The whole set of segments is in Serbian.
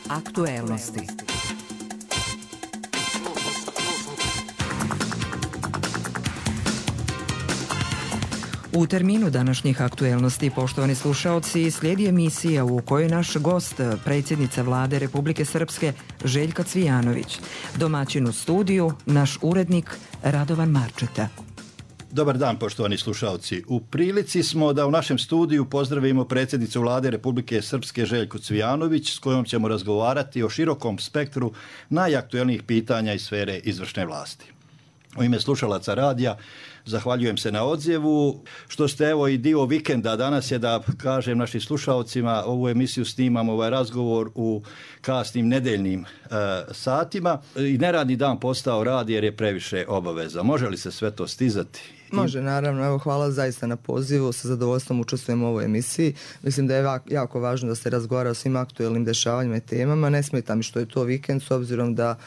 Aktuelnosti. U terminu današnjih aktuelnosti, poštovani slušaoci, slijedi emisija u kojoj naš gost, predsjednica Vlade Republike Srpske Željka Cvijanović, domaćin u studiju, naš urednik Radovan Marčeta. Dobar dan, poštovani slušaoci. U prilici smo da u našem studiju pozdravimo predsjednicu Vlade Republike Srpske Željku Cvijanović, s kojom ćemo razgovarati o širokom spektru najaktuelnijih pitanja iz sfere izvršne vlasti. U ime slušalaca radija zahvaljujem se na odzivu, što ste evo i dio vikenda. Danas je, da kažem našim slušalcima, ovu emisiju snimamo, ovaj razgovor u kasnim nedeljnim satima i neradni dan postao rad jer je previše obaveza. Može li se sve to stizati? Može, naravno. Evo, hvala zaista na pozivu. Sa zadovoljstvom učestvujem u ovoj emisiji. Mislim da je jako važno da se razgovara o svim aktuelnim dešavanjima i temama. Ne smeta mi što je to vikend, s obzirom da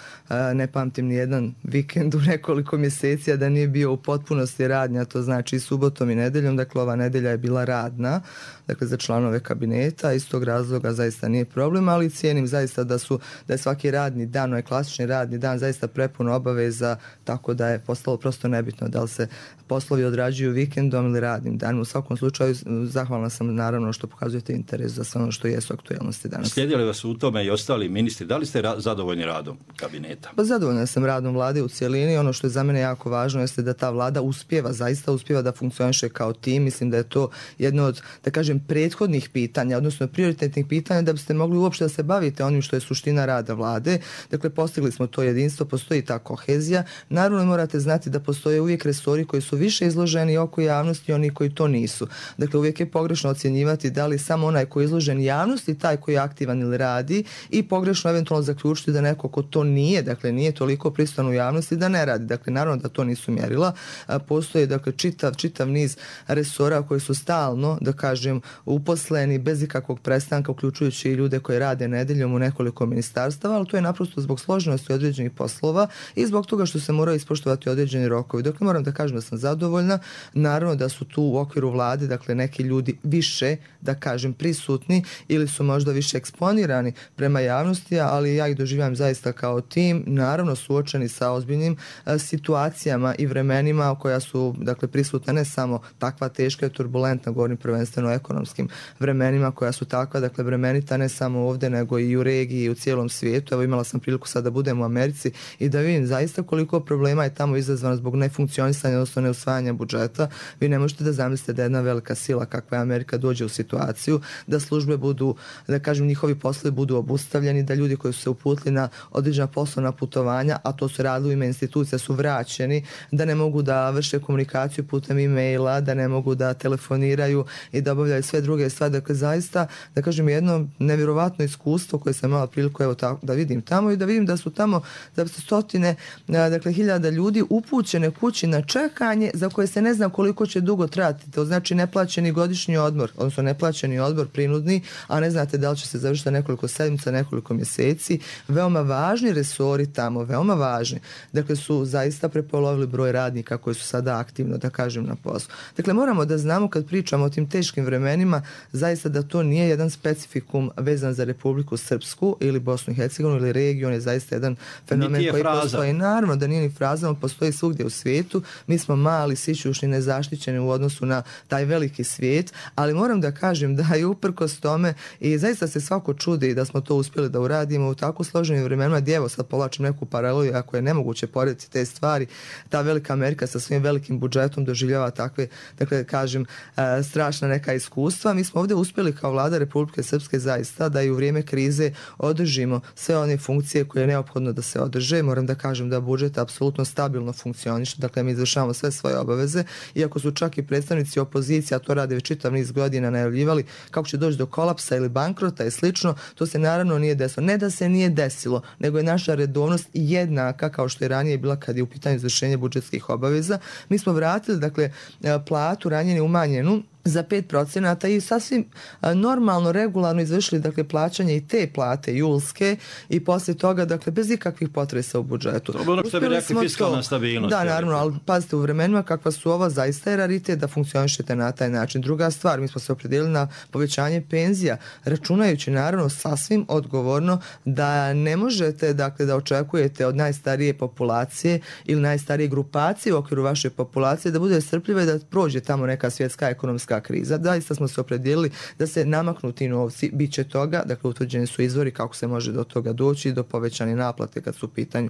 ne pamtim ni jedan vikend u nekoliko mjeseci, a da nije bio u potpunosti radnja, to znači i subotom i nedeljom. Dakle, ova nedelja je bila radna, dakle, za članove kabineta. Iz tog razloga zaista nije problem, ali cijenim zaista da je svaki radni dan, ovaj klasični radni dan, zaista prepuno obaveza, tako da je postalo prosto nebitno da li se poslovi odrađuju vikendom ili radnim danom. U svakom slučaju, zahvalna sam naravno što pokazujete interes za sve ono što jesu aktuelnosti danas. Slijedili vas u tome i ostali ministri? Da li ste zadovoljni radom kabineta? Pa zadovoljna sam radom vlade u cijelini. Ono što je za mene jako važno jeste da ta vlada zaista uspijeva da funkcioniše kao tim. Mislim da je to jedno od, da kažem, prethodnih pitanja, odnosno prioritetnih pitanja, da biste mogli uopšte da se bavite onim što je suština rada vlade. Dakle, postigli smo to jedinstvo, postoji ta kohezija. Naravno, morate znati da postoje uvijek resori koji su više izloženi oko javnosti i oni koji to nisu. Dakle, uvijek je pogrešno ocjenjivati da li samo onaj koji je izložen javnosti taj koji je aktivan ili radi, i pogrešno eventualno zaključiti da neko ko to nije, dakle nije toliko prisutan u javnosti, da ne radi. Dakle, naravno da to nisu mjerila. Postoje, dakle, čitav niz resora koji su stalno, da kažem, uposleni bez ikakvog prestanka, uključujući i ljude koji rade nedeljom u nekoliko ministarstava, ali to je naprosto zbog složenosti određenih poslova i zbog toga što se moraju ispoštovati određeni rokovi. Dakle, moram da kažem da sam zadovoljna. Naravno da su tu u okviru vlade, dakle, neki ljudi više, da kažem, prisutni ili su možda više eksponirani prema javnosti, ali ja ih doživljam zaista kao tim, naravno suočeni sa ozbiljnim situacijama i vremenima koja su, dakle, prisutna ne samo takva teška i turbulentna, govorim prvenstveno o ekonomskim vremenima koja su takva, dakle, vremenita ne samo ovdje nego i u regiji i u cijelom svijetu. Evo, imala sam priliku sad da budem u Americi i da vidim zaista koliko problema je tamo izazvano zbog nefunkcionisanja, odnosno neusvajanja budžeta. Vi ne možete da zamislite da jedna velika sila kakva je Amerika dođe u situaciju da službe budu, da kažem, njihovi poslovi budu obustavljeni, da ljudi koji su se uputili na određena poslovna putovanja, a to su radili u ime institucija, su vraćeni, da ne mogu da vrše komunikaciju putem e-maila, da ne mogu da telefoniraju i da obavljaju sve druge stvari. Dakle, zaista, da kažem, jedno nevjerovatno iskustvo koje sam imala priliku, evo, da vidim tamo i da vidim da su tamo stotine, dakle, hiljada ljudi upućene kući na čekanje za koje se ne zna koliko će dugo trajati. To znači neplaćeni godišnji odmor, odnosno neplaćeni odmor prinudni, a ne znate da li će se završiti nekoliko sedmica, nekoliko mjeseci. Veoma važni resori tamo, veoma važni. Dakle, su zaista prepolovili broj radnika koji su sada aktivno, da kažem, na poslu. Dakle, moramo da znamo kad pričamo o tim teškim vremenima, zaista da to nije jedan specifikum vezan za Republiku Srpsku ili Bosnu i Hercegovinu ili regiju, on je zaista jedan fenomen koji postoji. Naravno da nije ni fraza, on postoji svugdje u svijetu. Mi smo mali, sićušni, nezaštićeni u odnosu na taj veliki svijet, ali moram da kažem da je uprkos tome i zaista se svako čudi da smo to uspjeli da uradimo u tako složenim vremenima, gdje, evo, sad povlačim neku paralelu, ako je nemoguće porediti te stvari, ta velika Amerika sa svojim velikim budžetom doživljava takve, dakle, kažem, strašna neka iskustva. Mi smo ovdje uspjeli kao vlada Republike Srpske zaista da i u vrijeme krize održimo sve one funkcije koje je neophodno da se održe. Moram da kažem da budžet apsolutno stabilno funkcioniše, dakle, mi izvršavamo sve svoje obaveze, iako su čak i predstavnici opozicije, a to rade već čitav niz godina, najavljivali kako će doći do kolapsa ili bankrota i slično. To se naravno nije desilo. Ne da se nije desilo, nego je naša redovnost jednaka kao što je ranije bila kad je u pitanju izvršenje budžetskih obaveza. Mi smo vratili, dakle, platu ranije umanjenu za 5% i sasvim normalno, regularno izvršili dakle plaćanje i te plate julske i poslije toga dakle bez ikakvih potresa u budžetu. To je ono što bi rekli fiskalna stabilnost. Da, naravno, ali pazite, u vremenima kakva su ova, zaista je raritet da funkcionišete na taj način. Druga stvar, mi smo se opredijelili na povećanje penzija, računajući naravno sasvim odgovorno da ne možete dakle da očekujete od najstarije populacije ili najstarije grupacije u okviru vaše populacije da bude strpljiva i da prođe tamo neka svjetska ekonomska kriza. Zaista smo se opredijelili da se namaknu ti novci, bit će toga, dakle utvrđeni su izvori kako se može do toga doći, do povećane naplate kad su u pitanju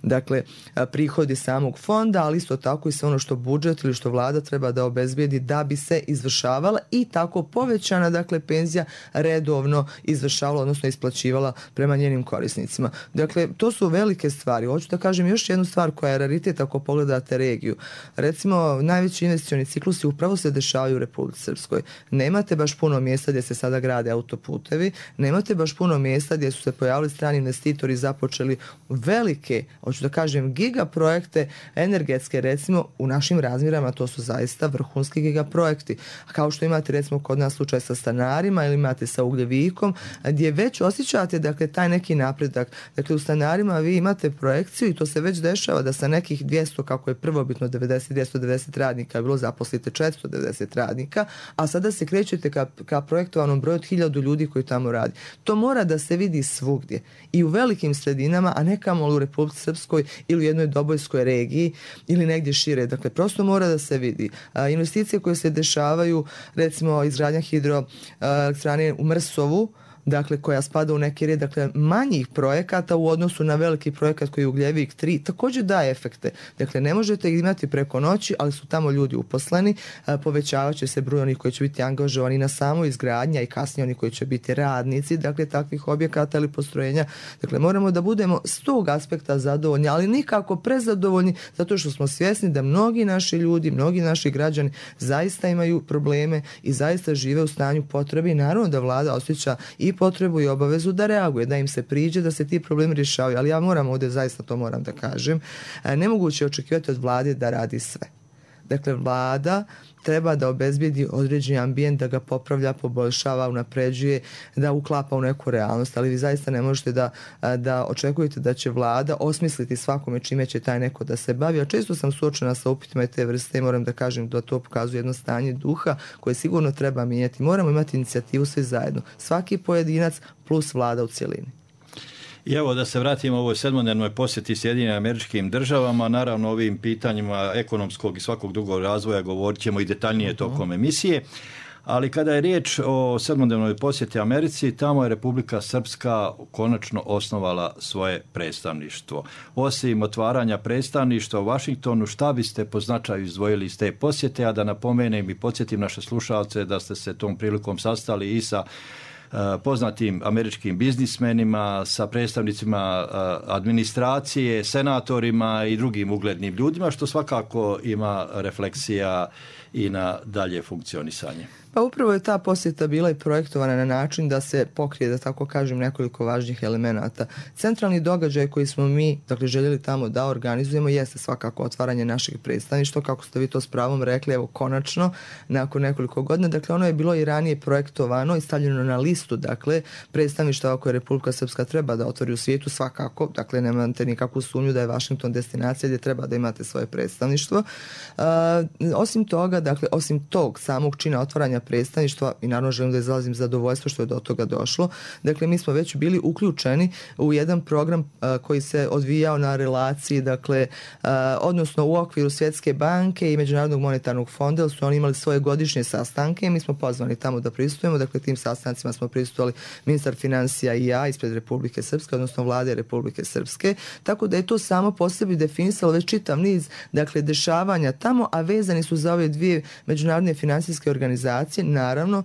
dakle prihodi samog fonda, ali isto tako i sve ono što budžet ili što vlada treba da obezbijedi da bi se izvršavala i tako povećana dakle penzija redovno izvršavala, odnosno isplaćivala prema njenim korisnicima. Dakle, to su velike stvari. Hoću da kažem još jednu stvar koja je raritet ako pogledate regiju. Recimo, najveći investicioni ciklusi upravo se dešavaju u Republici Srpskoj. Nemate baš puno mjesta gdje se sada grade autoputevi, nemate baš puno mjesta gdje su se pojavili strani investitori i započeli velike, hoću da kažem, gigaprojekte energetske, recimo u našim razmjerama to su zaista vrhunski gigaprojekti. Kao što imate recimo kod nas slučaj sa stanarima ili imate sa ugljevikom, gdje već osjećate dakle taj neki napredak. Dakle, u stanarima vi imate projekciju i to se već dešava da sa nekih 200, kako je prvobitno 290 radnika bilo, zaposlite 490 radnika, a sada se krećete ka projektovanom broju od 1000 ljudi koji tamo radi. To mora da se vidi svugdje i u velikim sredinama, a ne kamoli u Republici Srpskoj ili u jednoj dobojskoj regiji ili negdje šire. Dakle, prosto mora da se vidi. Investicije koje se dešavaju, recimo izgradnja hidroelektrane u Mrsovu, dakle koja spada u neki red dakle manjih projekata u odnosu na veliki projekat koji je Ugljevik 3, također daje efekte. Dakle, ne možete ih imati preko noći, ali su tamo ljudi uposleni, povećavat će se broj onih koji će biti angažovani na samoj izgradnji i kasnije oni koji će biti radnici, dakle takvih objekata ili postrojenja. Dakle, moramo da budemo s tog aspekta zadovoljni, ali nikako prezadovoljni, zato što smo svjesni da mnogi naši ljudi, mnogi naši građani zaista imaju probleme i zaista žive u stanju potrebe i naravno da vlada osjeća i potrebu i obavezu da reaguje, da im se priđe, da se ti problemi rješavaju. Ali ja moram ovdje, zaista to moram da kažem, nemoguće očekivati od vlade da radi sve. Dakle, vlada treba da obezbijedi određeni ambijent, da ga popravlja, poboljšava, unapređuje, da uklapa u neku realnost, ali vi zaista ne možete da očekujete da će vlada osmisliti svakome čime će taj neko da se bavi. A često sam suočena sa upitima te vrste i moram da kažem da to pokazuje jedno stanje duha koje sigurno treba mijenjati. Moramo imati inicijativu svi zajedno. Svaki pojedinac plus vlada u cjelini. I evo da se vratimo ovoj sedmodnevnoj posjeti Sjedinjenim Američkim Državama, naravno o ovim pitanjima ekonomskog i svakog drugog razvoja govorit ćemo i detaljnije tokom emisije, ali kada je riječ o sedmodnevnoj posjeti Americi, tamo je Republika Srpska konačno osnovala svoje predstavništvo. Osim otvaranja predstavništva u Vašingtonu, šta biste po značaju izdvojili iz te posjete, a da napomenem i podsjetim naše slušalce da ste se tom prilikom sastali i sa poznatim američkim biznismenima, sa predstavnicima administracije, senatorima i drugim uglednim ljudima, što svakako ima refleksija i na dalje funkcionisanje. Pa upravo je ta posjeta bila i projektovana na način da se pokrije, da tako kažem, nekoliko važnih elemenata. Centralni događaj koji smo mi, dakle, željeli tamo da organizujemo jeste svakako otvaranje našeg predstavništva, kako ste vi to s pravom rekli, evo konačno, nakon nekoliko godina. Dakle, ono je bilo i ranije projektovano i stavljeno na listu, dakle, predstavništava koje Republika Srpska treba da otvori u svijetu svakako, dakle, nemate nikakvu sumnju da je Washington destinacija gdje treba da imate svoje predstavništvo. Osim toga, dakle, osim tog samog čina otvaranja predstavništva, i naravno želim da izrazim zadovoljstvo što je do toga došlo. Dakle, mi smo već bili uključeni u jedan program koji se odvijao na relaciji, dakle, odnosno u okviru Svjetske banke i Međunarodnog monetarnog fonda, jer su oni imali svoje godišnje sastanke i mi smo pozvani tamo da prisustujemo. Dakle, tim sastancima smo prisustvovali ministar financija i ja ispred Republike Srpske, odnosno vlade Republike Srpske, tako da je to samo po sebi definisalo već čitav niz, dakle, dešavanja tamo, a vezani su za ove dvije međunarodne financijske organizacije. Naravno,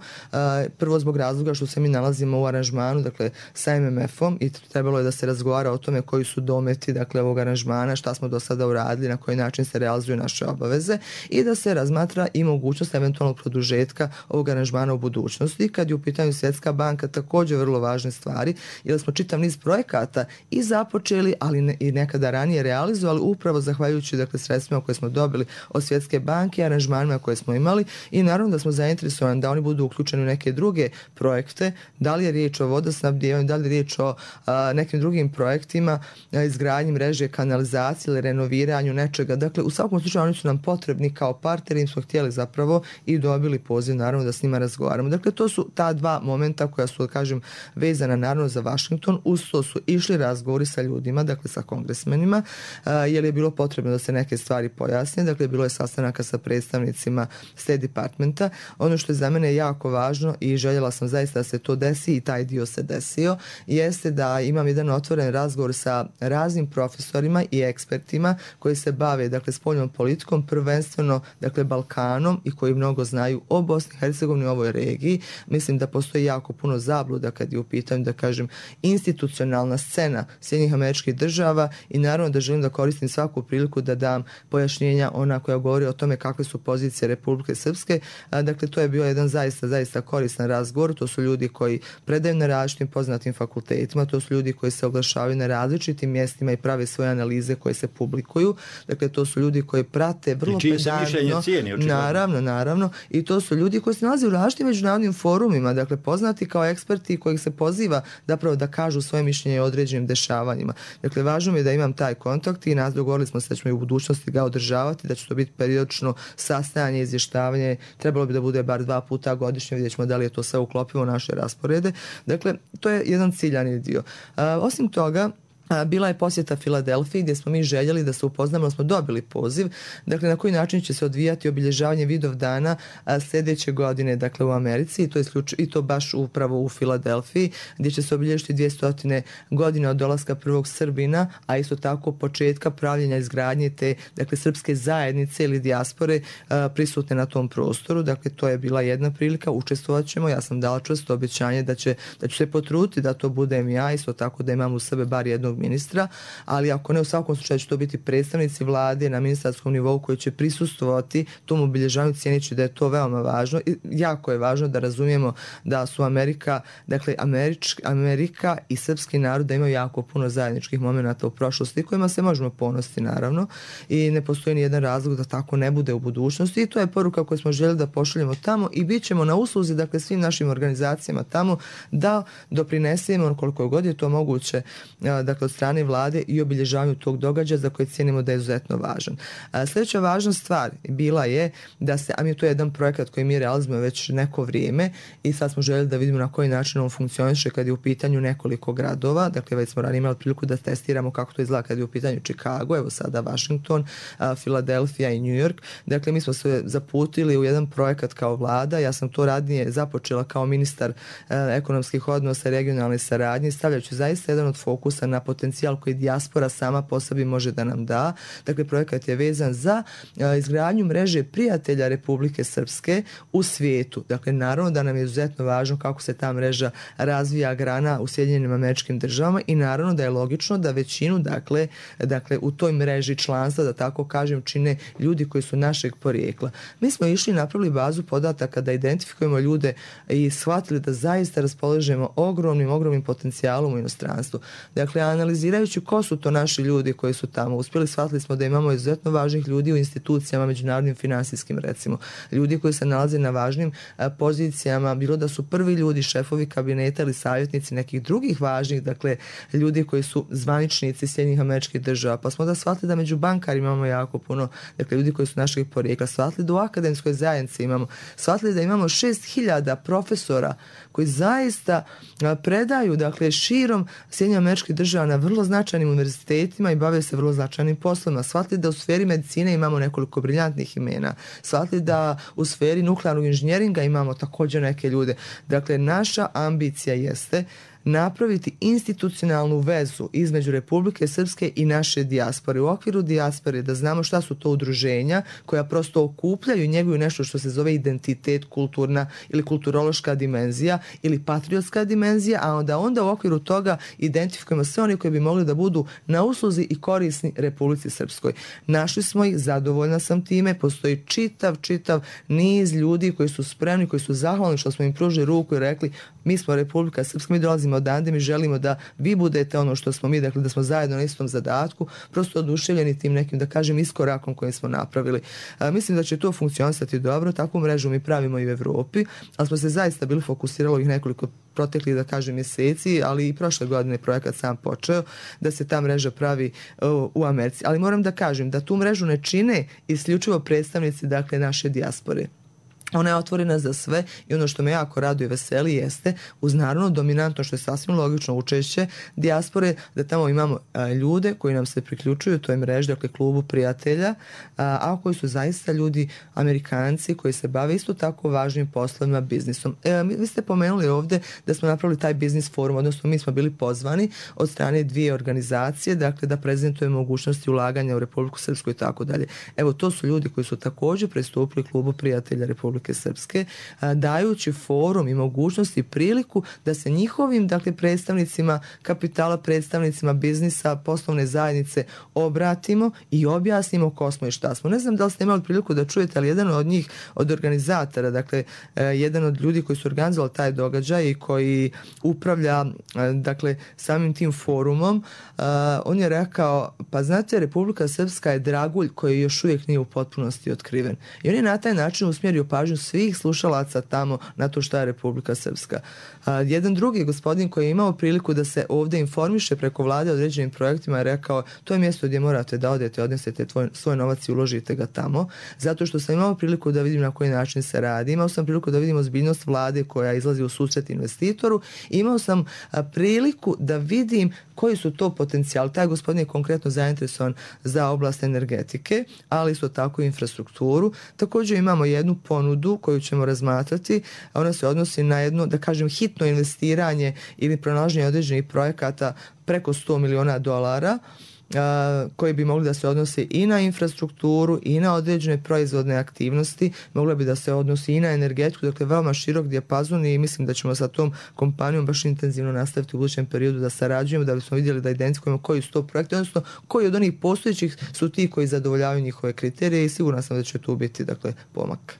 prvo zbog razloga što se mi nalazimo u aranžmanu, dakle, sa MMF-om i trebalo je da se razgovara o tome koji su dometi, dakle, ovog aranžmana, šta smo do sada uradili, na koji način se realizuju naše obaveze i da se razmatra i mogućnost eventualnog produžetka ovog aranžmana u budućnosti. Kad je u pitanju Svjetska banka, također vrlo važne stvari, jer smo čitav niz projekata i započeli, ali i nekada ranije realizovali, upravo zahvaljujući dakle, sredstvima koje smo dobili od Svjetske banke, aranžmanima koje smo imali i naravno da smo zainteresovani da oni budu uključeni u neke druge projekte, da li je riječ o vodosnabdijevanju, da li je riječ o nekim drugim projektima, izgradnji mreže, kanalizacije ili renoviranju nečega. Dakle, u svakom slučaju oni su nam potrebni kao partneri, im smo htjeli zapravo i dobili poziv naravno da s njima razgovaramo. Dakle, to su ta dva momenta koja su, kažem, vezana naravno za Washington. Uz to su išli razgovori sa ljudima, dakle sa kongresmenima, jer je bilo potrebno da se neke stvari pojasne. Dakle, bilo je sastanaka sa predstavnicima State Departmenta. Ono što je za mene jako važno i željela sam zaista da se to desi i taj dio se desio, jeste da imam jedan otvoren razgovor sa raznim profesorima i ekspertima koji se bave, dakle, spoljnom politikom, prvenstveno, dakle, Balkanom i koji mnogo znaju o Bosni i Hercegovini, o ovoj regiji. Mislim da postoji jako puno zabluda kad je u pitanju, da kažem, institucionalna scena Sjedinjenih Američkih Država i naravno da želim da koristim svaku priliku da dam pojašnjenja ona koja govori o tome kakve su pozicije Republike Srpske. Dakle, to je bio jedan zaista koristan razgovor. To su ljudi koji predaju na različitim poznatim fakultetima, to su ljudi koji se oglašavaju na različitim mjestima i prave svoje analize koje se publikuju. Dakle, to su ljudi koji prate vrlo pedantno. Naravno. I to su ljudi koji se nalaze u različitim međunarodnim forumima, dakle, poznati kao eksperti kojih se poziva zapravo da kažu svoje mišljenje o određenim dešavanjima. Dakle, važno mi je da imam taj kontakt i nas dogovorili smo se da ćemo i u budućnosti ga održavati, da će to biti periodično sastajanje, izvještavanje, trebalo bi da bude bar 2 puta godišnje, vidjet ćemo da li je to sve uklopivo u naše rasporede. Dakle, to je jedan ciljani dio. Osim toga, bila je posjeta Filadelfiji gdje smo mi željeli da se upoznamo, smo dobili poziv, dakle na koji način će se odvijati obilježavanje Vidovdana sljedeće godine, dakle u Americi i to baš upravo u Filadelfiji gdje će se obilježiti 200 godina od dolaska prvog Srbina, a isto tako početka pravljenja izgradnje te, dakle, srpske zajednice ili dijaspore prisutne na tom prostoru. Dakle, to je bila jedna prilika, učestvovat ćemo, ja sam dala čvrsto obećanje da ću se potruditi da to budem ja, isto tako da imam u sebe bar jednog ministra, ali ako ne, u svakom slučaju će to biti predstavnici vlade na ministarskom nivou koji će prisustvovati tom obilježavanju, cijeneći da je to veoma važno. I jako je važno da razumijemo da su Amerika i srpski narod da imaju jako puno zajedničkih momenata u prošlosti kojima se možemo ponositi naravno i ne postoji ni jedan razlog da tako ne bude u budućnosti i to je poruka koju smo željeli da pošaljemo tamo i bit ćemo na usluzi, dakle, svim našim organizacijama tamo da doprinesemo koliko god je to moguće, dakle, od strane vlade i obilježavanju tog događaja za koje cijenimo da je izuzetno važan. Sljedeća važna stvar bila je da se, a mi to je jedan projekat koji mi realizujemo već neko vrijeme i sad smo željeli da vidimo na koji način on funkcioniše kad je u pitanju nekoliko gradova. Dakle, već smo ranije imali priliku da testiramo kako to izgleda kad je u pitanju Chicago, evo sada Washington, Filadelfija i New York. Dakle, mi smo se zaputili u jedan projekat kao vlada. Ja sam to radnije započela kao ministar ekonomskih odnosa i regionalne saradnje, stavljajući zaista jedan od fokusa na potencijal koji dijaspora sama po sebi može da nam da. Dakle, projekat je vezan za izgradnju mreže prijatelja Republike Srpske u svijetu. Dakle, naravno da nam je izuzetno važno kako se ta mreža razvija, grana u Sjedinjenim Američkim Državama i naravno da je logično da većinu, dakle u toj mreži članstva, da tako kažem, čine ljudi koji su našeg porijekla. Mi smo išli i napravili bazu podataka da identifikujemo ljude i shvatili da zaista raspolažemo ogromnim potencijalom u inostranstvu. Dakle, analizirajući ko su to naši ljudi koji su tamo uspjeli, shvatili smo da imamo izuzetno važnih ljudi u institucijama, međunarodnim finansijskim, recimo. Ljudi koji se nalaze na važnim pozicijama, bilo da su prvi ljudi, šefovi kabineta ili savjetnici nekih drugih važnih, dakle, ljudi koji su zvaničnici Sjedinjenih Američkih Država. Pa smo da shvatili da među bankarima imamo jako puno, dakle, ljudi koji su našeg porijekla. Shvatili da u akademskoj zajednici imamo. Shvatili da imamo 6000 profesora koji zaista predaju, dakle, širom Sjedinjenih Američkih Država na vrlo značajnim univerzitetima i bave se vrlo značajnim poslovima. Shvatili da u sferi medicine imamo nekoliko briljantnih imena. Shvatili da u sferi nuklearnog inženjeringa imamo također neke ljude. Dakle, naša ambicija jeste napraviti institucionalnu vezu između Republike Srpske i naše dijaspore. U okviru dijaspore da znamo šta su to udruženja koja prosto okupljaju i njeguju nešto što se zove identitet, kulturna ili kulturološka dimenzija ili patriotska dimenzija, a onda u okviru toga identifikujemo sve oni koji bi mogli da budu na usluzi i korisni Republici Srpskoj. Našli smo ih, zadovoljna sam time, postoji čitav niz ljudi koji su spremni, koji su zahvalni što smo im pružili ruku i rekli mi smo Republika Srpska, mi dolazimo odande, mi želimo da vi budete ono što smo mi, dakle da smo zajedno na istom zadatku, prosto oduševljeni tim nekim, da kažem, iskorakom koji smo napravili. Mislim da će to funkcionisati dobro, takvu mrežu mi pravimo i u Evropi, ali smo se zaista bili fokusirali ovih nekoliko proteklih, da kažem, mjeseci, ali i prošle godine projekat sam počeo da se ta mreža pravi u Americi. Ali moram da kažem da tu mrežu ne čine isključivo predstavnici, dakle, naše dijaspore. Ona je otvorena za sve i ono što me jako raduje i veseli jeste uz naravno dominantno, što je sasvim logično, učešće dijaspore, da tamo imamo ljude koji nam se priključuju toj mreži, dakle klubu prijatelja, a koji su zaista ljudi Amerikanci koji se bave isto tako važnim poslovima, biznisom. Vi ste pomenuli ovdje da smo napravili taj biznis forum, odnosno mi smo bili pozvani od strane dvije organizacije, dakle da prezentujemo mogućnosti ulaganja u Republiku Srpsku i tako dalje. Evo, to su ljudi koji su također pristupili klubu prijatelja Republike Srpske, dajući forum i mogućnosti i priliku da se njihovim, dakle, predstavnicima kapitala, predstavnicima biznisa, poslovne zajednice obratimo i objasnimo ko smo i šta smo. Ne znam da li ste imali priliku da čujete, ali jedan od njih, od organizatora, dakle, jedan od ljudi koji su organizovali taj događaj i koji upravlja, dakle, samim tim forumom, on je rekao, pa znate, Republika Srpska je dragulj koji još uvijek nije u potpunosti otkriven. I on je na taj način usmjerio pažnju svih slušalaca tamo na to šta je Republika Srpska. Jedan drugi gospodin koji je imao priliku da se ovdje informiše preko vlade određenim projektima je rekao, to je mjesto gdje morate da odete, odnesete svoj novac i uložite ga tamo, zato što sam imao priliku da vidim na koji način se radi, imao sam priliku da vidim ozbiljnost vlade koja izlazi u susret investitoru, imao sam priliku da vidim koji su to potencijali. Taj gospodin je konkretno zainteresovan za oblast energetike, ali isto tako i infrastrukturu. Također imamo jednu ponudu koju ćemo razmatrati, ona se odnosi na jedno, da kažem, hitno investiranje ili pronalaženje određenih projekata preko $100 miliona koji bi mogli da se odnose i na infrastrukturu i na određene proizvodne aktivnosti, mogli bi da se odnosi i na energetiku, dakle veoma širok dijapazon i mislim da ćemo sa tom kompanijom baš intenzivno nastaviti u budućem periodu da sarađujemo, da bismo vidjeli da identifikujemo koji su to projekti, odnosno koji od onih postojećih su ti koji zadovoljavaju njihove kriterije i sigurno sam da će tu biti, dakle, pomak.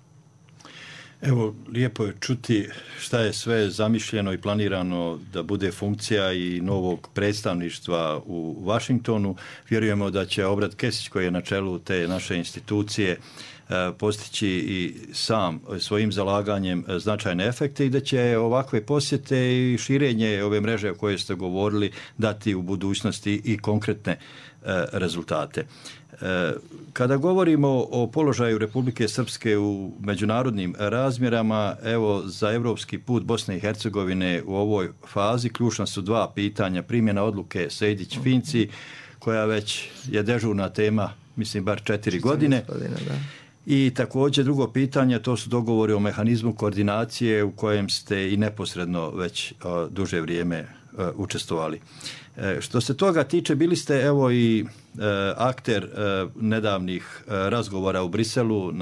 Evo, lijepo je čuti šta je sve zamišljeno i planirano da bude funkcija i novog predstavništva u Washingtonu. Vjerujemo da će Obrad Kesić, koji je na čelu te naše institucije, postići i sam svojim zalaganjem značajne efekte i da će ovakve posjete i širenje ove mreže o kojoj ste govorili dati u budućnosti i konkretne rezultate. Kada govorimo o položaju Republike Srpske u međunarodnim razmjerama, evo, za evropski put Bosne i Hercegovine u ovoj fazi ključna su dva pitanja. Primjena odluke Sejdić-Finci, koja već je dežurna tema, mislim, bar 4 godine. I također drugo pitanje, to su dogovori o mehanizmu koordinacije u kojem ste i neposredno već duže vrijeme učestvovali. Što se toga tiče, bili ste evo i akter nedavnih razgovora u Briselu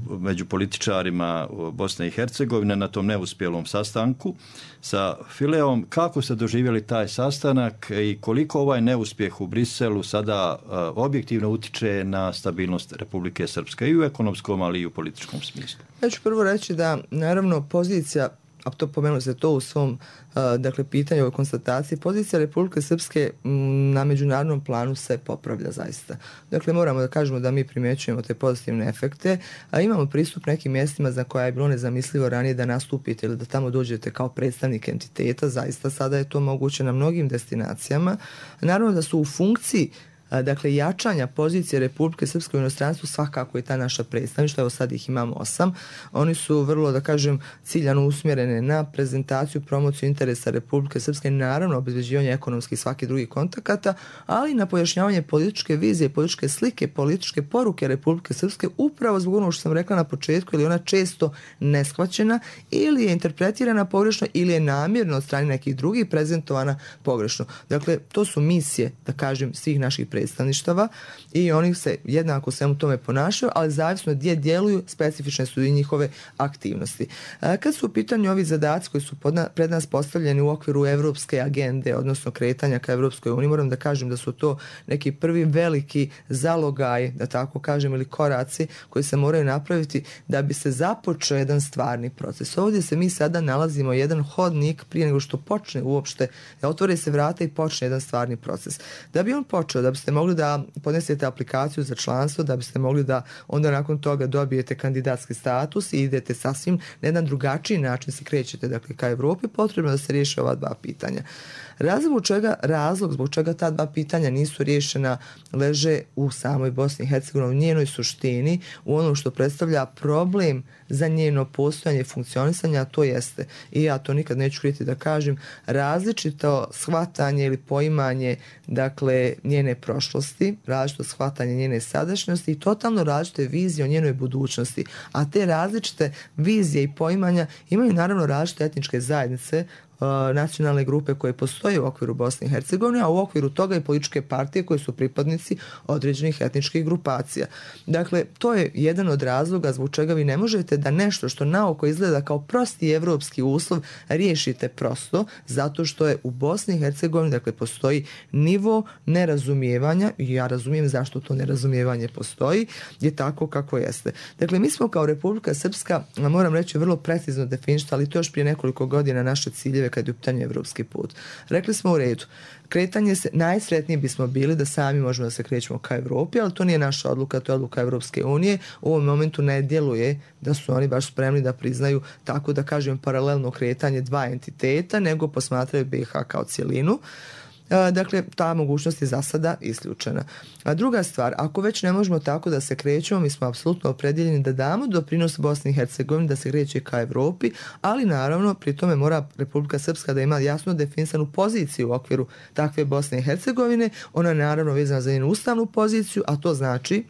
među političarima Bosne i Hercegovine na tom neuspjelom sastanku sa Fileom. Kako ste doživjeli taj sastanak i koliko ovaj neuspjeh u Briselu sada objektivno utiče na stabilnost Republike Srpske i u ekonomskom, ali i u političkom smislu? Ja ću prvo reći da, naravno, pozicija, a to pomenuli se to u svom, dakle, pitanju o konstataciji, pozicija Republike Srpske na međunarodnom planu se popravlja zaista. Dakle, moramo da kažemo da mi primjećujemo te pozitivne efekte, a imamo pristup nekim mjestima za koja je bilo nezamislivo ranije da nastupite ili da tamo dođete kao predstavnik entiteta. Zaista sada je to moguće na mnogim destinacijama. Naravno da su u funkciji dakle jačanja pozicije Republike Srpske u inostranstvu svakako je ta naša predstavništva, evo sad ih imamo 8. Oni su vrlo, da kažem, ciljano usmjerene na prezentaciju, promociju interesa Republike Srpske, naravno obezbeđivanje ekonomskih i svaki drugi kontakata, ali na pojašnjavanje političke vizije, političke slike, političke poruke Republike Srpske, upravo zbog onog što sam rekla na početku, ili ona često neshvaćena, ili je interpretirana pogrešno, ili je namjerno od strane nekih drugih prezentovana pogrešno. Dakle, to su misije, da kažem, svih naših predstavništava i oni se jednako svemu tome ponašaju, ali zavisno gdje djeluju, specifične su i njihove aktivnosti. Kad su u pitanju ovi zadaci koji su pred nas postavljeni u okviru evropske agende, odnosno kretanja ka Evropskoj uniji, moram da kažem da su to neki prvi veliki zalogaj, da tako kažem, ili koraci koji se moraju napraviti da bi se započeo jedan stvarni proces. Ovdje se mi sada nalazimo jedan hodnik prije nego što počne uopšte, da otvore se vrata i počne jedan stvarni proces. Da bi on počeo, da biste mogli da podnesete aplikaciju za članstvo, da biste mogli da onda nakon toga dobijete kandidatski status i idete sasvim na jedan drugačiji način se krećete, dakle, ka Evropi, potrebno da se riješe ova dva pitanja. Razlog zbog čega ta dva pitanja nisu riješena leže u samoj Bosni i Hercegovini, u njenoj suštini, u onom što predstavlja problem za njeno postojanje i funkcionisanje, a to jeste, i ja to nikad neću kriti da kažem, različito shvatanje ili poimanje, dakle, njene prošlosti, različito shvatanje njene sadašnjosti i totalno različite vizije o njenoj budućnosti. A te različite vizije i poimanja imaju naravno različite etničke zajednice, nacionalne grupe koje postoje u okviru Bosne i Hercegovine, a u okviru toga i političke partije koje su pripadnici određenih etničkih grupacija. Dakle, to je jedan od razloga zbog čega vi ne možete da nešto što naoko izgleda kao prosti evropski uslov riješite prosto, zato što je u Bosni i Hercegovini, dakle, postoji nivo nerazumijevanja, i ja razumijem zašto to nerazumijevanje postoji, je tako kako jeste. Dakle, mi smo kao Republika Srpska, moram reći, vrlo precizno definišali, ali to još prije nekoliko godina naše ciljeve kad je u pitanju evropski put. Rekli smo u redu, kretanje se, najsretniji bismo bili da sami možemo da se krećemo ka Evropi, ali to nije naša odluka, to je odluka Evropske unije. U ovom momentu ne djeluje da su oni baš spremni da priznaju, tako da kažem, paralelno kretanje dva entiteta, nego posmatraju BiH kao cjelinu. Dakle, ta mogućnost je za sada isključena. A druga stvar, ako već ne možemo tako da se krećemo, mi smo apsolutno opredjeljeni da damo doprinos Bosni i Hercegovini da se kreće ka Evropi, ali naravno pri tome mora Republika Srpska da ima jasno definisanu poziciju u okviru takve Bosne i Hercegovine. Ona je naravno vezana za njenu ustavnu poziciju, a to znači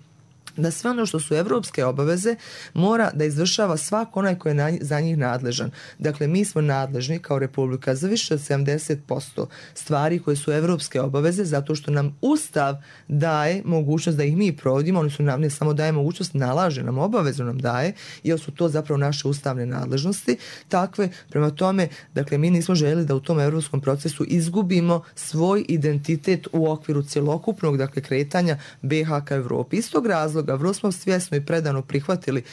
da sve ono što su evropske obaveze mora da izvršava svako onaj koji je za njih nadležan. Dakle, mi smo nadležni kao Republika za više od 70% stvari koje su evropske obaveze, zato što nam Ustav daje mogućnost da ih mi provodimo, oni su nam ne samo daje mogućnost, nalaže nam, obavezu nam daje, jer su to zapravo naše ustavne nadležnosti. Takve, prema tome, dakle, mi nismo željeli da u tom evropskom procesu izgubimo svoj identitet u okviru cjelokupnog, dakle, kretanja BiH ka Evropi. Iz tog razloga vrlo smo svjesno i predano prihvatili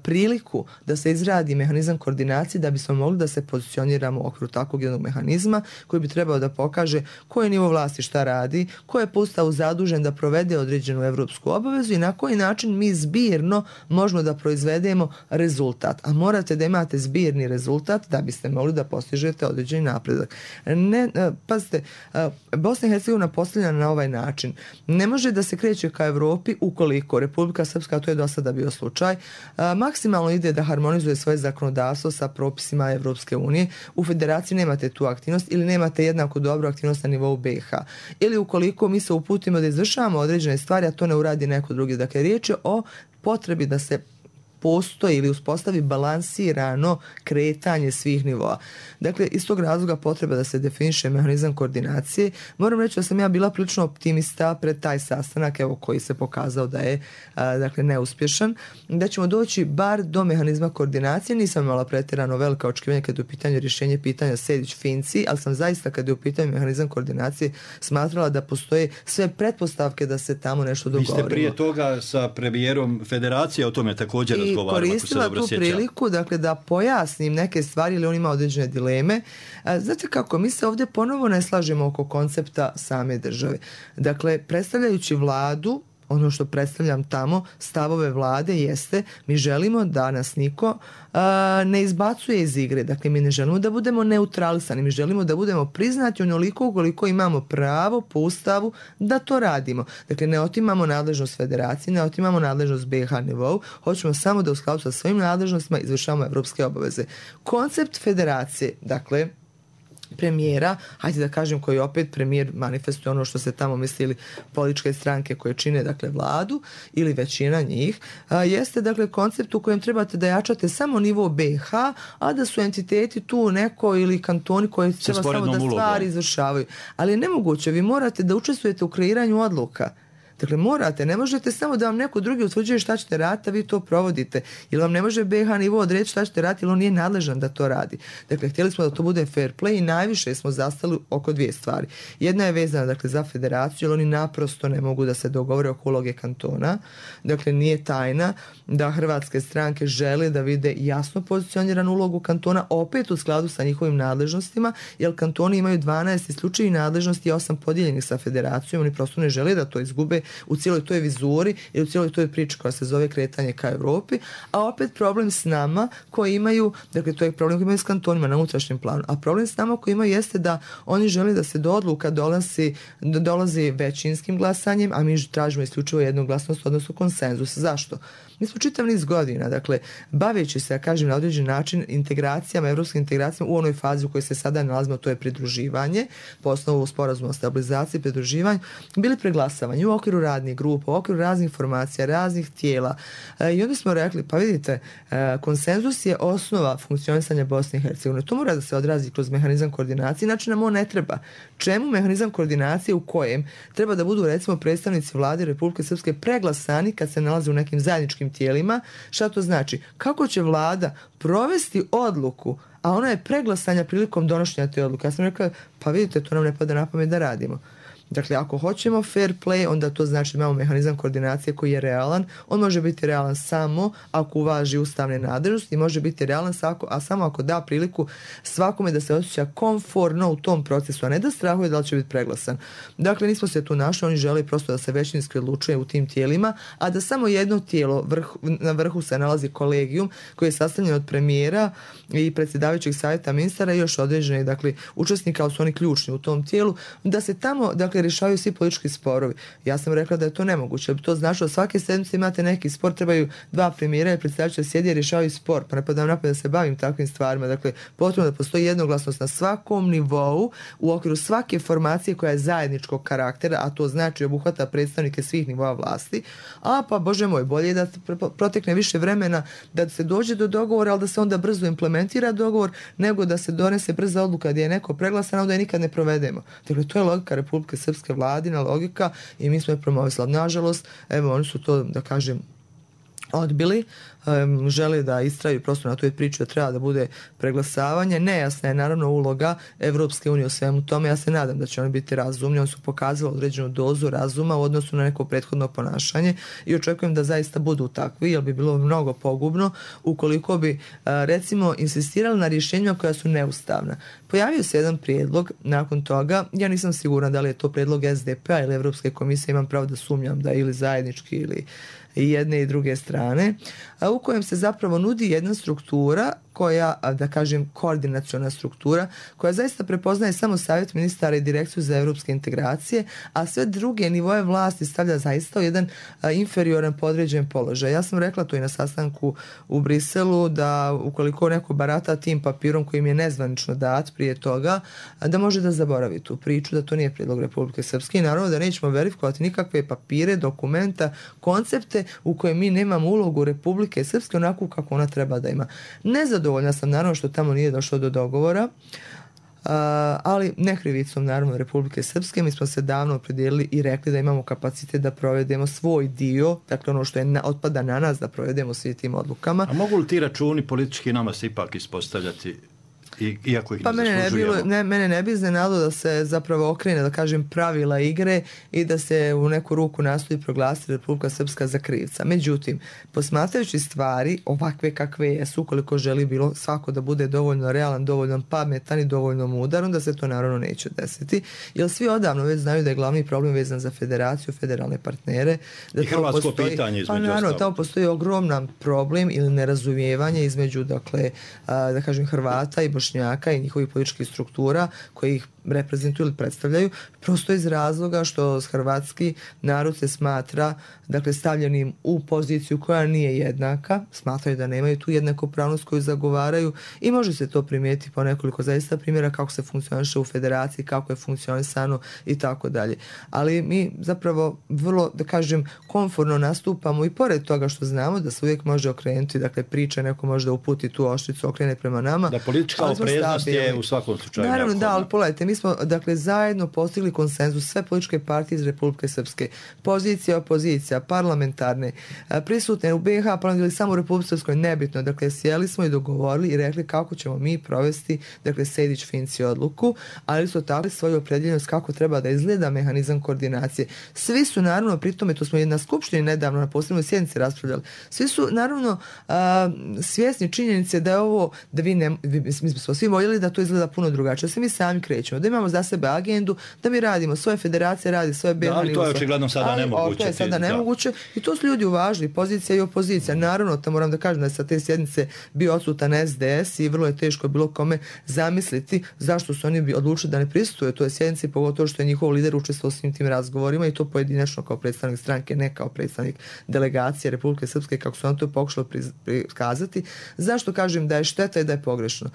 priliku da se izradi mehanizam koordinacije da bismo mogli da se pozicioniramo u okviru takvog jednog mehanizma koji bi trebao da pokaže koji nivo vlasti šta radi, ko je po Ustavu zadužen da provede određenu evropsku obavezu i na koji način mi zbirno možemo da proizvedemo rezultat. A morate da imate zbirni rezultat da biste mogli da postižete određeni napredak. Pazite, Bosna i Hercegovina postavljena na ovaj način ne može da se kreće ka Evropi ukoliko Republika Srpska, to je do sada bio slučaj, maksimalno ide da harmonizuje svoje zakonodavstvo sa propisima Evropske unije. U federaciji nemate tu aktivnost ili nemate jednako dobru aktivnost na nivou BiH. Ili ukoliko mi se uputimo da izvršavamo određene stvari, a to ne uradi neko drugi. Dakle, riječ je o potrebi da se postoji ili uspostavi balansirano kretanje svih nivoa. Dakle, iz tog razloga potreba da se definiše mehanizam koordinacije. Moram reći da sam ja bila prilično optimista pred taj sastanak, evo, koji se pokazao da je dakle, neuspješan, da ćemo doći bar do mehanizma koordinacije. Nisam imala pretjerano velika očekivanja kad je u pitanju rješenje pitanja Sejdić-Finci, ali sam zaista kad je u pitanju mehanizam koordinacije smatrala da postoje sve pretpostavke da se tamo nešto dogovorimo. Vi ste prije toga sa premijerom Federacije o tome također razgovarali. Koristila tu priliku, dakle, da pojasnim neke stvari ili on ima određene dileme. Znate kako, mi se ovdje ponovo ne slažemo oko koncepta same države. Dakle, predstavljajući vladu ono što predstavljam tamo, stavove vlade jeste mi želimo da nas niko ne izbacuje iz igre. Dakle, mi ne želimo da budemo neutralisani, mi želimo da budemo priznati onoliko koliko imamo pravo po ustavu da to radimo. Dakle, ne otimamo nadležnost federaciji, ne otimamo nadležnost BiH nivou, hoćemo samo da u skladu sa svojim nadležnostima izvršavamo evropske obaveze. Koncept federacije, dakle, premijera, hajde da kažem koji opet premijer manifestuje ono što se tamo mislili političke stranke koje čine dakle vladu ili većina njih, jeste dakle koncept u kojem trebate da jačate samo nivo BiH, a da su entiteti tu neko ili kantoni koji treba samo da stvari izvršavaju. Ali je nemoguće, vi morate da učestvujete u kreiranju odluka. Dakle, morate, ne možete samo da vam neko drugi utvrđuje šta ćete raditi, a vi to provodite. Ili vam ne može BiH nivo odreći šta ćete raditi, ili on nije nadležan da to radi. Dakle, htjeli smo da to bude fair play i najviše smo zastali oko dvije stvari. Jedna je vezana dakle, za federaciju, jer oni naprosto ne mogu da se dogovore oko uloge kantona. Dakle, nije tajna da hrvatske stranke žele da vide jasno pozicioniranu ulogu kantona, opet u skladu sa njihovim nadležnostima, jer kantoni imaju 12 isključivih nadležnosti i 8 podijeljenih sa federacijom. Oni prosto ne žele da to izgube u cijeloj toj vizuri i u cijeloj toj priči koja se zove kretanje ka Evropi, a opet problem s nama koji imaju, dakle to je problem koji imaju s kantonima na unutrašnjem planu, a problem s nama koji imaju jeste da oni žele da se do odluka dolazi većinskim glasanjem, a mi tražimo isključivo jednoglasnost, odnosno konsenzus. Zašto? Mi smo čitav niz godina, dakle, baveći se, ja kažem, na određen način integracijama, evropskim integracijama u onoj fazi u kojoj se sada nalazimo, to je pridruživanje, po osnovu sporazuma o stabilizaciji, pridruživanju, bili preglasavani u okviru radnih grupa, u okviru raznih formacija, raznih tijela. I onda smo rekli, pa vidite, konsenzus je osnova funkcionisanja Bosne i Hercegovine. To mora da se odrazi kroz mehanizam koordinacije, znači nam on ne treba. Čemu mehanizam koordinacije u kojem treba da budu, recimo, predstavnici vlade Republike Srpske preglasani kad se nalaze u nekim zajedničkim tijelima? Šta to znači? Kako će vlada provesti odluku, a ona je preglasanja prilikom donošenja te odluke? Ja sam rekla, pa vidite, to nam ne pada na pamet da radimo. Dakle, ako hoćemo fair play, onda to znači da imamo mehanizam koordinacije koji je realan. On može biti realan samo ako uvaži ustavne nadležnosti i može biti realan samo ako da priliku svakome da se osjeća komfortno u tom procesu, a ne da strahuje da li će biti preglasan. Dakle, nismo se tu našli, oni žele prosto da se većinski odlučuje u tim tijelima, a da samo jedno tijelo, na vrhu se nalazi kolegijum koji je sastavljen od premijera i predsjedavajućeg savjeta ministara i još određenih, dakle, učesnika, ali su oni ključni u tom tijelu, da se tamo, dakle, rješavaju svi politički sporovi. Ja sam rekla da je to nemoguće. To znači da svake sedmice imate neki spor, trebaju dva premijera i predsjedavajuća sjedi i rješavaju spor. Pa ne padam napad da se bavim takvim stvarima. Dakle, potrebno da postoji jednoglasnost na svakom nivou u okviru svake formacije koja je zajedničkog karaktera, a to znači obuhvata predstavnike svih nivoa vlasti. A pa, Bože moj, bolje je da protekne više vremena da se dođe do dogovora, ali da se onda brzo implementira dogovor, nego da se donese brza odluka gdje je neko preglasan, a onda je nikad ne provedemo. Dakle, to je logika Republike Srpske, vladina logika i mi smo je promovisali. Nažalost, evo, oni su to, da kažem, odbili, žele da istraju prosto na toj priči da treba da bude preglasavanje. Nejasna je naravno uloga Evropske unije u svemu tome. Ja se nadam da će oni biti razumni. Oni su pokazali određenu dozu razuma u odnosu na neko prethodno ponašanje i očekujem da zaista budu takvi, jer bi bilo mnogo pogubno ukoliko bi, recimo, insistirali na rješenjima koja su neustavna. Pojavio se jedan prijedlog nakon toga, ja nisam sigurna da li je to prijedlog SDP-a ili Evropske komisije, imam pravo da sumnjam da ili zajednički ili i jedne i druge strane, u kojem se zapravo nudi jedna struktura koja, da kažem, koordinaciona struktura, koja zaista prepoznaje samo savjet ministara i direkciju za evropske integracije, a sve druge nivoje vlasti stavlja zaista u jedan inferioran podređen položaj. Ja sam rekla to i na sastanku u Briselu, da ukoliko neko barata tim papirom koji im je nezvanično dat prije toga, da može da zaboravi tu priču, da to nije prijedlog Republike Srpske i naravno da nećemo verifikovati nikakve papire, dokumenta, koncepte u kojem mi nemamo ulogu Republike Srpske onako kako ona treba da ima. Nezadovoljna sam naravno što tamo nije došlo do dogovora, ali ne krivicom naravno Republike Srpske. Mi smo se davno opredijelili i rekli da imamo kapacitet da provedemo svoj dio, dakle ono što je otpada na nas da provedemo svi tim odlukama. A mogu li ti računi politički nama se ipak ispostavljati Iako ih Pa mene ne bi iznenadilo da se zapravo okrene, da kažem, pravila igre i da se u neku ruku nastoji proglasiti Republika Srpska za krivca. Međutim, posmatrajući stvari ovakve kakve jesu, ukoliko želi bilo svako da bude dovoljno realan, dovoljno pametan i dovoljno mudar, onda se to naravno neće desiti. Jer svi odavno već znaju da je glavni problem vezan za federaciju, federalne partnere. Da i hrvatsko pitanje između naravno, ostalog. Tamo postoji ogroman problem ili nerazumijevanje između, dakle, da kažem, Hrvata i Bošnjaka i njihovih političkih struktura koji ih reprezentuju ili predstavljaju, prosto iz razloga što hrvatski narod se smatra, dakle, stavljenim u poziciju koja nije jednaka, smatraju da nemaju tu jednakopravnost koju zagovaraju i može se to primijetiti po nekoliko zaista primjera kako se funkcioniše u federaciji, kako je funkcionisano i tako dalje. Ali mi zapravo vrlo, da kažem, komforno nastupamo i pored toga što znamo da se uvijek može okrenuti, dakle, priča, neko može da uputi tu oštricu, okrene prema nama. Da politička opreznost je u svakom slučaju. Naravno, da, ali pogledajte, mi smo, dakle, zajedno postigli konsenzus, sve političke partije iz Republike Srpske, pozicija, opozicija, parlamentarne, prisutne u BiH, pa samo u Republike Srpskoj, nebitno, dakle, sjeli smo i dogovorili i rekli kako ćemo mi provesti, dakle, Sejdić-Finci odluku, ali su tako svoju opredjeljenost kako treba da izgleda mehanizam koordinacije. Svi su, naravno, pri tome, to smo i na Skupštini nedavno, na posebnoj sjednici raspravljali, svi su, naravno, svjesni činjenice da je ovo, da mi smo svi voljeli da to izgleda puno drugačije, da se mi sami krećemo, da imamo za sebe agendu, da mi radimo, svoje federacije radi, svoje BiH. Ali to je očigledno sada nemoguće. To je sada nemoguće i to su ljudi uvažili, pozicija i opozicija. Naravno, to moram da kažem da je sa te sjednice bio odsutan SDS i vrlo je teško bilo kome zamisliti zašto su oni odlučili da ne prisustuje toj sjednici, pogotovo što je njihov lider učestvovao svim tim razgovorima i to pojedinačno kao predstavnik stranke, ne kao predstavnik delegacije Republike Srpske, kako su on to pokušali prikazati. Zašto kažem da je šteta i da je pogrešno?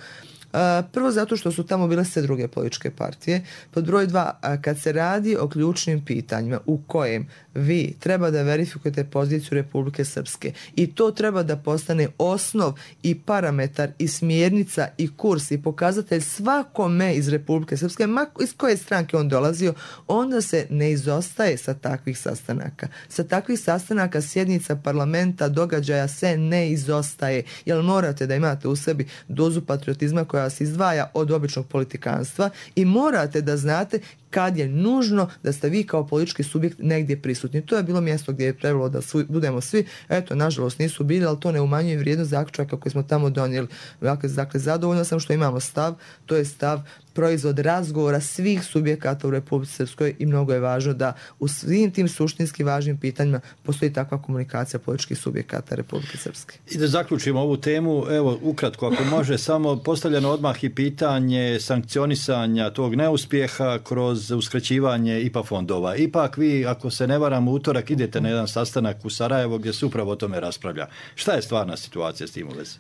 Prvo zato što su tamo bile sve druge političke partije. Pod broj 2, kad se radi o ključnim pitanjima u kojem vi treba da verifikujete poziciju Republike Srpske i to treba da postane osnov i parametar i smjernica i kurs i pokazatelj svakome iz Republike Srpske, iz koje stranke on dolazio, onda se ne izostaje sa takvih sastanaka. Sa takvih sastanaka sjednica parlamenta, događaja se ne izostaje, jer morate da imate u sebi dozu patriotizma koja vas izdvaja od običnog politikanstva i morate da znate kad je nužno da ste vi kao politički subjekt negdje prisutni. To je bilo mjesto gdje je trebalo da budemo svi. Eto, nažalost nisu bili, ali to ne umanjuje vrijednost zaključaka koje smo tamo donijeli. Dakle, zadovoljno sam što imamo stav. To je stav proizvod razgovora svih subjekata u Republici Srpskoj i mnogo je važno da u svim tim suštinski važnim pitanjima postoji takva komunikacija političkih subjekata Republike Srpske. I da zaključimo ovu temu, evo, ukratko, ako može, samo postavljeno odmah i pitanje sankcionisanja tog neuspjeha kroz uskraćivanje IPA fondova. Ipak vi, ako se ne varam, u utorak idete na jedan sastanak u Sarajevo gdje se upravo o tome raspravlja. Šta je stvarna situacija s tim u vezi?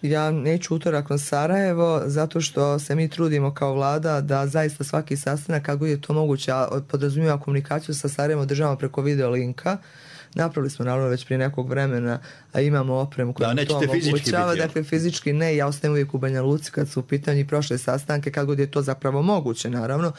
Ja neću utorak na Sarajevo zato što se mi trudimo kao vlada da zaista svaki sastanak, kako je to moguće, podrazumijeva komunikaciju sa Sarajevom državama preko video linka. Napravili smo naravno već prije nekog vremena, a imamo opremu koja to omogućava. Dakle, fizički ne, ja ostajem uvijek u Banja Luci kad su u pitanju prošle sastanke, kad god je to zapravo moguće, naravno.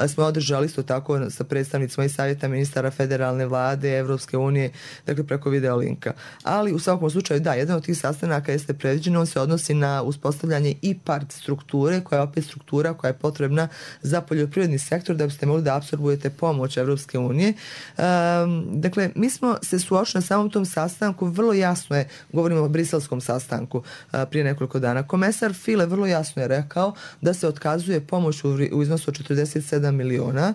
Smo održali isto tako sa predstavnicima i savjeta ministara federalne vlade, Evropske unije, dakle preko video linka. Ali u svakom slučaju, da, jedan od tih sastanaka jeste predviđeno, on se odnosi na uspostavljanje IPARD strukture, koja je opet struktura koja je potrebna za poljoprivredni sektor da biste mogli da apsorbujete pomoć Evropske unije. Dakle, mi smo se suočili na samom tom sastanku, vrlo jasno je, govorimo o briselskom sastanku prije nekoliko dana. Komesar File vrlo jasno je rekao da se otkazuje pomoć u iznosu od 47 miliona.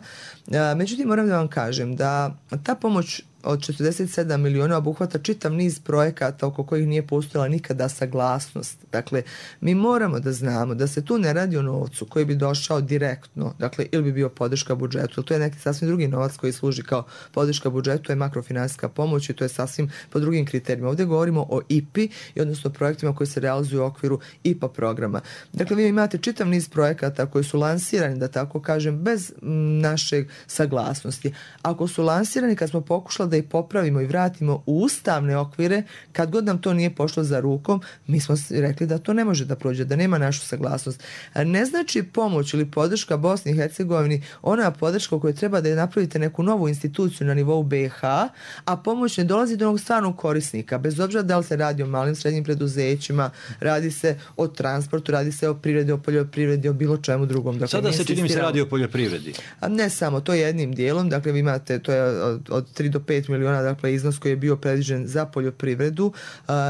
Međutim, moram da vam kažem da ta pomoć od 47 miliona obuhvata čitav niz projekata oko kojih nije postojala nikada saglasnost. Dakle, mi moramo da znamo da se tu ne radi o novcu koji bi došao direktno, dakle, ili bi bio podrška budžetu. To je neki sasvim drugi novac koji služi kao podrška budžetu, to je makrofinansijska pomoć i to je sasvim po drugim kriterijima. Ovdje govorimo o IPI, i odnosno projektima koji se realizuju u okviru IPA programa. Dakle, vi imate čitav niz projekata koji su lansirani, da tako kažem, bez našeg saglasnosti. Ako su lansirani, kad smo pokušali da ih popravimo i vratimo u ustavne okvire, kad god nam to nije pošlo za rukom, mi smo rekli da to ne može da prođe, da nema našu saglasnost. Ne znači pomoć ili podrška Bosni i Hercegovini ona podrška u kojoj treba da je napravite neku novu instituciju na nivou BiH, a pomoć ne dolazi do onog stvarnog korisnika, bez obzira da li se radi o malim srednjim preduzećima, radi se o transportu, radi se o privredi, o poljoprivredi, o bilo čemu drugom. Dakle, sada se čini mi se radi o poljoprivredi. A ne samo, to je jednim dijelom, dakle vi imate, to je od 3 do 5 miliona, dakle iznos koji je bio predviđen za poljoprivredu,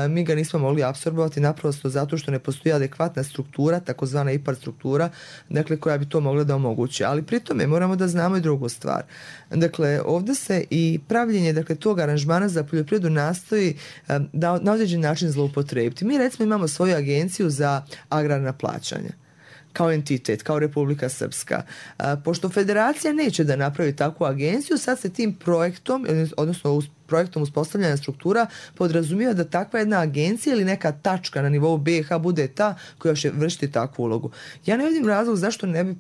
mi ga nismo mogli apsorbovati naprosto zato što ne postoji adekvatna struktura, takozvana IPAR struktura, dakle koja bi to mogla da omogući. Ali pri tome moramo da znamo i drugu stvar. Dakle, ovdje se i pravljenje, dakle, tog aranžmana za poljoprivredu nastoji da na određen način zloupotrebiti. Mi recimo imamo svoju agenciju za agrarna plaćanja kao entitet, kao Republika Srpska. Pošto federacija neće da napravi takvu agenciju, sad se tim projektom, odnosno projektom uspostavljanja struktura podrazumijeva da takva jedna agencija ili neka tačka na nivou BiH bude ta koja će vršiti takvu ulogu. Ja ne vidim razlog zašto ne bi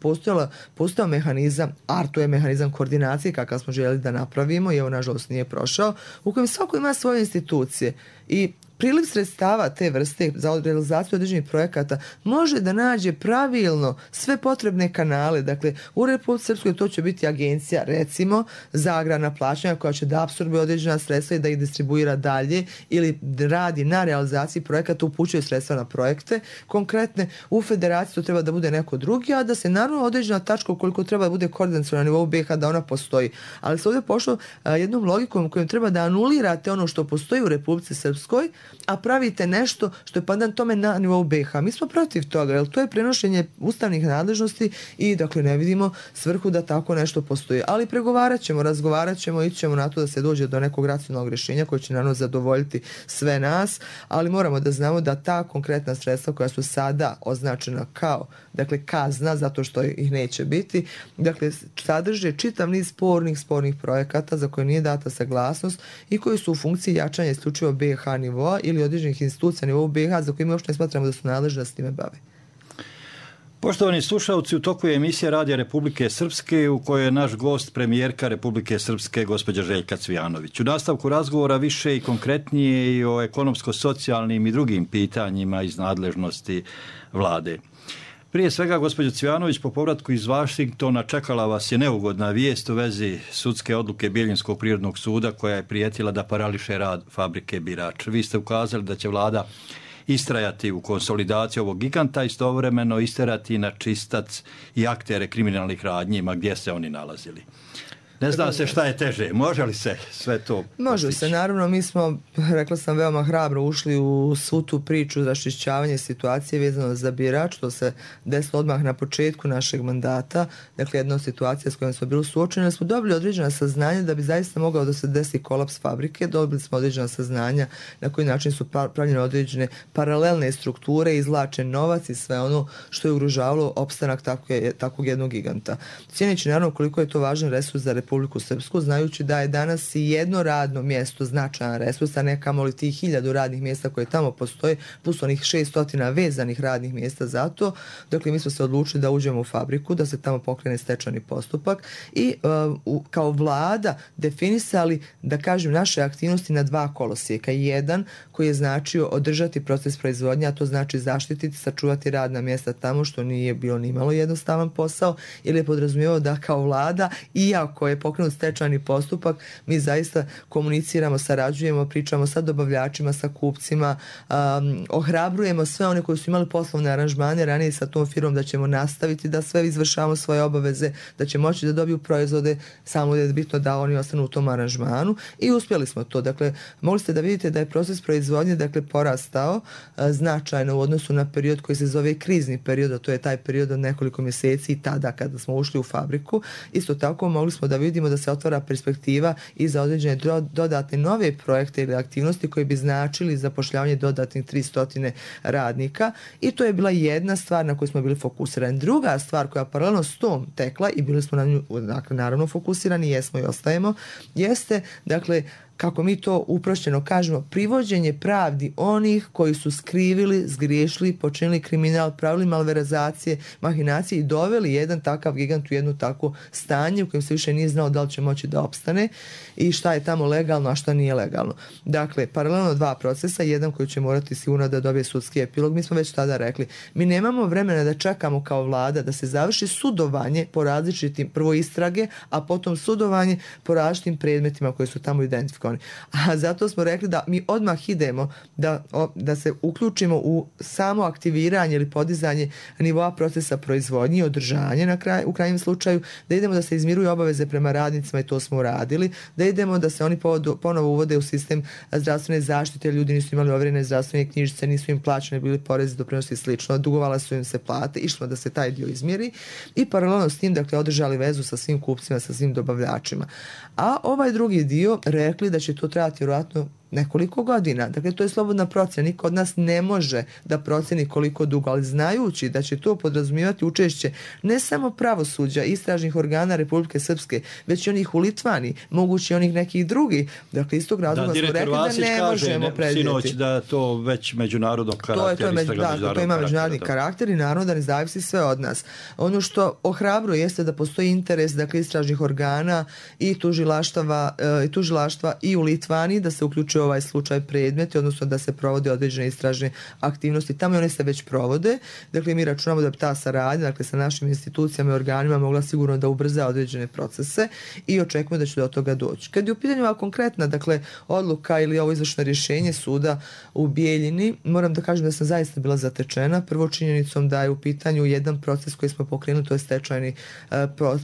postojao mehanizam, a to je mehanizam koordinacije kakav smo željeli da napravimo i evo nažalost nije prošao, u kojem svako ima svoje institucije i priliv sredstava te vrste za realizaciju određenih projekata može da nađe pravilno sve potrebne kanale. Dakle, u Republici Srpskoj to će biti agencija, recimo, za agrarna plaćanja koja će da apsorbuje određena sredstva i da ih distribuira dalje ili radi na realizaciji projekata, upućuje sredstva na projekte. Konkretne, u federaciji to treba da bude neko drugi, a da se naravno određena tačka ukoliko treba da bude koordinacija na nivou BiH da ona postoji. Ali se ovdje pošlo jednom logikom kojom treba da anulirate ono što postoji u Republici Srpskoj, a pravite nešto što je pandan tome na nivou BiH. Mi smo protiv toga, jer to je prenošenje ustavnih nadležnosti i dakle ne vidimo svrhu da tako nešto postoji. Ali pregovarat ćemo, razgovarat ćemo, ići ćemo na to da se dođe do nekog racionalnog rješenja koje će naravno zadovoljiti sve nas, ali moramo da znamo da ta konkretna sredstva koja su sada označena kao, dakle, kazna, zato što ih neće biti, dakle, sadrže čitav niz spornih projekata za koje nije data saglasnost i koji su u funkciji jačanja isključivo BiH nivoa ili određenih institucija na nivou BiH za koje mi uopšte ne smatramo da su nadležni da s time bave. Poštovani slušalci, u toku je emisija Radija Republike Srpske u kojoj je naš gost premijerka Republike Srpske gospođa Željka Cvijanović. U nastavku razgovora više i konkretnije i o ekonomsko-socijalnim i drugim pitanjima iz nadležnosti vlade. Prije svega, gospođo Cvijanović, po povratku iz Vašingtona čekala vas je neugodna vijest u vezi sudske odluke Bjeljinskog prirodnog suda koja je prijetila da parališe rad fabrike Birač. Vi ste ukazali da će vlada istrajati u konsolidaciji ovog giganta, istovremeno isterati na čistac i aktere kriminalnih radnjima gdje se oni nalazili. Ne zna se šta je teže. Može li se sve to postići? Može se. Naravno, mi smo, rekla sam, veoma hrabro ušli u svu tu priču raščišćavanje situacije vezano za Birač, što se desilo odmah na početku našeg mandata. Dakle, jedna situacija s kojom smo bili suočeni, ali smo dobili određena saznanja da bi zaista mogao da se desi kolaps fabrike. Dobili smo određena saznanja na koji način su pravljene određene paralelne strukture, izvlačen novac i sve ono što je ugrožavalo opstanak takvog jednog giganta. Cijeneći naravno koliko je to važan resurs za Republiku Srpsku, znajući da je danas i jedno radno mjesto značajan resurs, a ne kamoli tih 1000 radnih mjesta koje tamo postoje, plus onih 600 vezanih radnih mjesta za to. Dakle, mi smo se odlučili da uđemo u fabriku, da se tamo pokrene stečajni postupak i kao vlada definisali, da kažem, naše aktivnosti na 2 kolosijeka. Jedan koji je značio održati proces proizvodnje, a to znači zaštititi, sačuvati radna mjesta tamo, što nije bilo ni malo jednostavan posao, ili je podrazumijevao da kao vlada, iako je pokrenut stečajni postupak, mi zaista komuniciramo, sarađujemo, pričamo sa dobavljačima, sa kupcima, ohrabrujemo sve one koji su imali poslovne aranžmane ranije sa tom firmom da ćemo nastaviti da sve izvršavamo svoje obaveze, da će moći da dobiju proizvode, samo je bitno da oni ostanu u tom aranžmanu i uspjeli smo to. Dakle, mogli ste da vidite da je proces proizvodnje, dakle, porastao značajno u odnosu na period koji se zove krizni period, a to je taj period od nekoliko mjeseci i tada kada smo ušli u fabriku. Isto tako mogli smo da vidimo da se otvara perspektiva i za određene dodatne nove projekte ili aktivnosti koji bi značili zapošljavanje dodatnih 300 radnika i to je bila jedna stvar na koju smo bili fokusirani. Druga stvar koja paralelno s tom tekla i bili smo na nju, dakle, naravno fokusirani, jesmo i ostajemo, jeste, dakle, kako mi to uprošćeno kažemo, privođenje pravdi onih koji su skrivili, zgriješili, počinili kriminal, pravili malverazacije, mahinacije i doveli jedan takav gigant u jedno takvo stanje u kojem se više nije znao da li će moći da opstane i šta je tamo legalno, a šta nije legalno. Dakle, paralelno 2 procesa, jedan koji će morati sigurno da dobije sudski epilog. Mi smo već tada rekli, mi nemamo vremena da čekamo kao vlada da se završi sudovanje po različitim, prvo istrage, a potom sudovanje po različitim predmetima koji su tamo identifikovani. A zato smo rekli da mi odmah idemo da se uključimo u samo aktiviranje ili podizanje nivoa procesa proizvodnje i održanje u krajnjem slučaju, da idemo da se izmiruju obaveze prema radnicima i to smo uradili, da idemo da se oni ponovo uvode u sistem zdravstvene zaštite, ljudi nisu imali overene zdravstvene knjižice, nisu im plaćene, bili porezi, doprinosi i slično, dugovala su im se plate, išlo da se taj dio izmjeri i paralelno s tim, dakle, održali vezu sa svim kupcima, sa svim dobavljačima. A ovaj drugi dio rekli da će to trebati vjerojatno nekoliko godina. Dakle, to je slobodna procjena. Niko od nas ne može da procjeni koliko dugo, ali znajući da će to podrazumijevati učešće ne samo pravosuđa, istražnih organa Republike Srpske, već i onih u Litvani, mogući onih nekih drugih. Dakle, iz tog razloga smo rekli da ne možemo predvidjeti. Sinoć da to već međunarodnog karaktera. To ima međunarodni karakter i naravno da ne zavisi sve od nas. Ono što ohrabruje jeste da postoji interes, dakle, istražnih organa i tužilaštva i u Litvani da se uključuje ovaj slučaj predmeti, odnosno da se provode određene istražne aktivnosti. Tamo i one se već provode. Dakle, mi računamo da bi ta saradnja, dakle, sa našim institucijama i organima mogla sigurno da ubrza određene procese i očekujemo da će do toga doći. Kad je u pitanju ova konkretna, dakle, odluka ili ovo izvršno rješenje suda u Bijeljini, moram da kažem da sam zaista bila zatečena. Prvo činjenicom da je u pitanju jedan proces koji smo pokrenuli, to je stečajni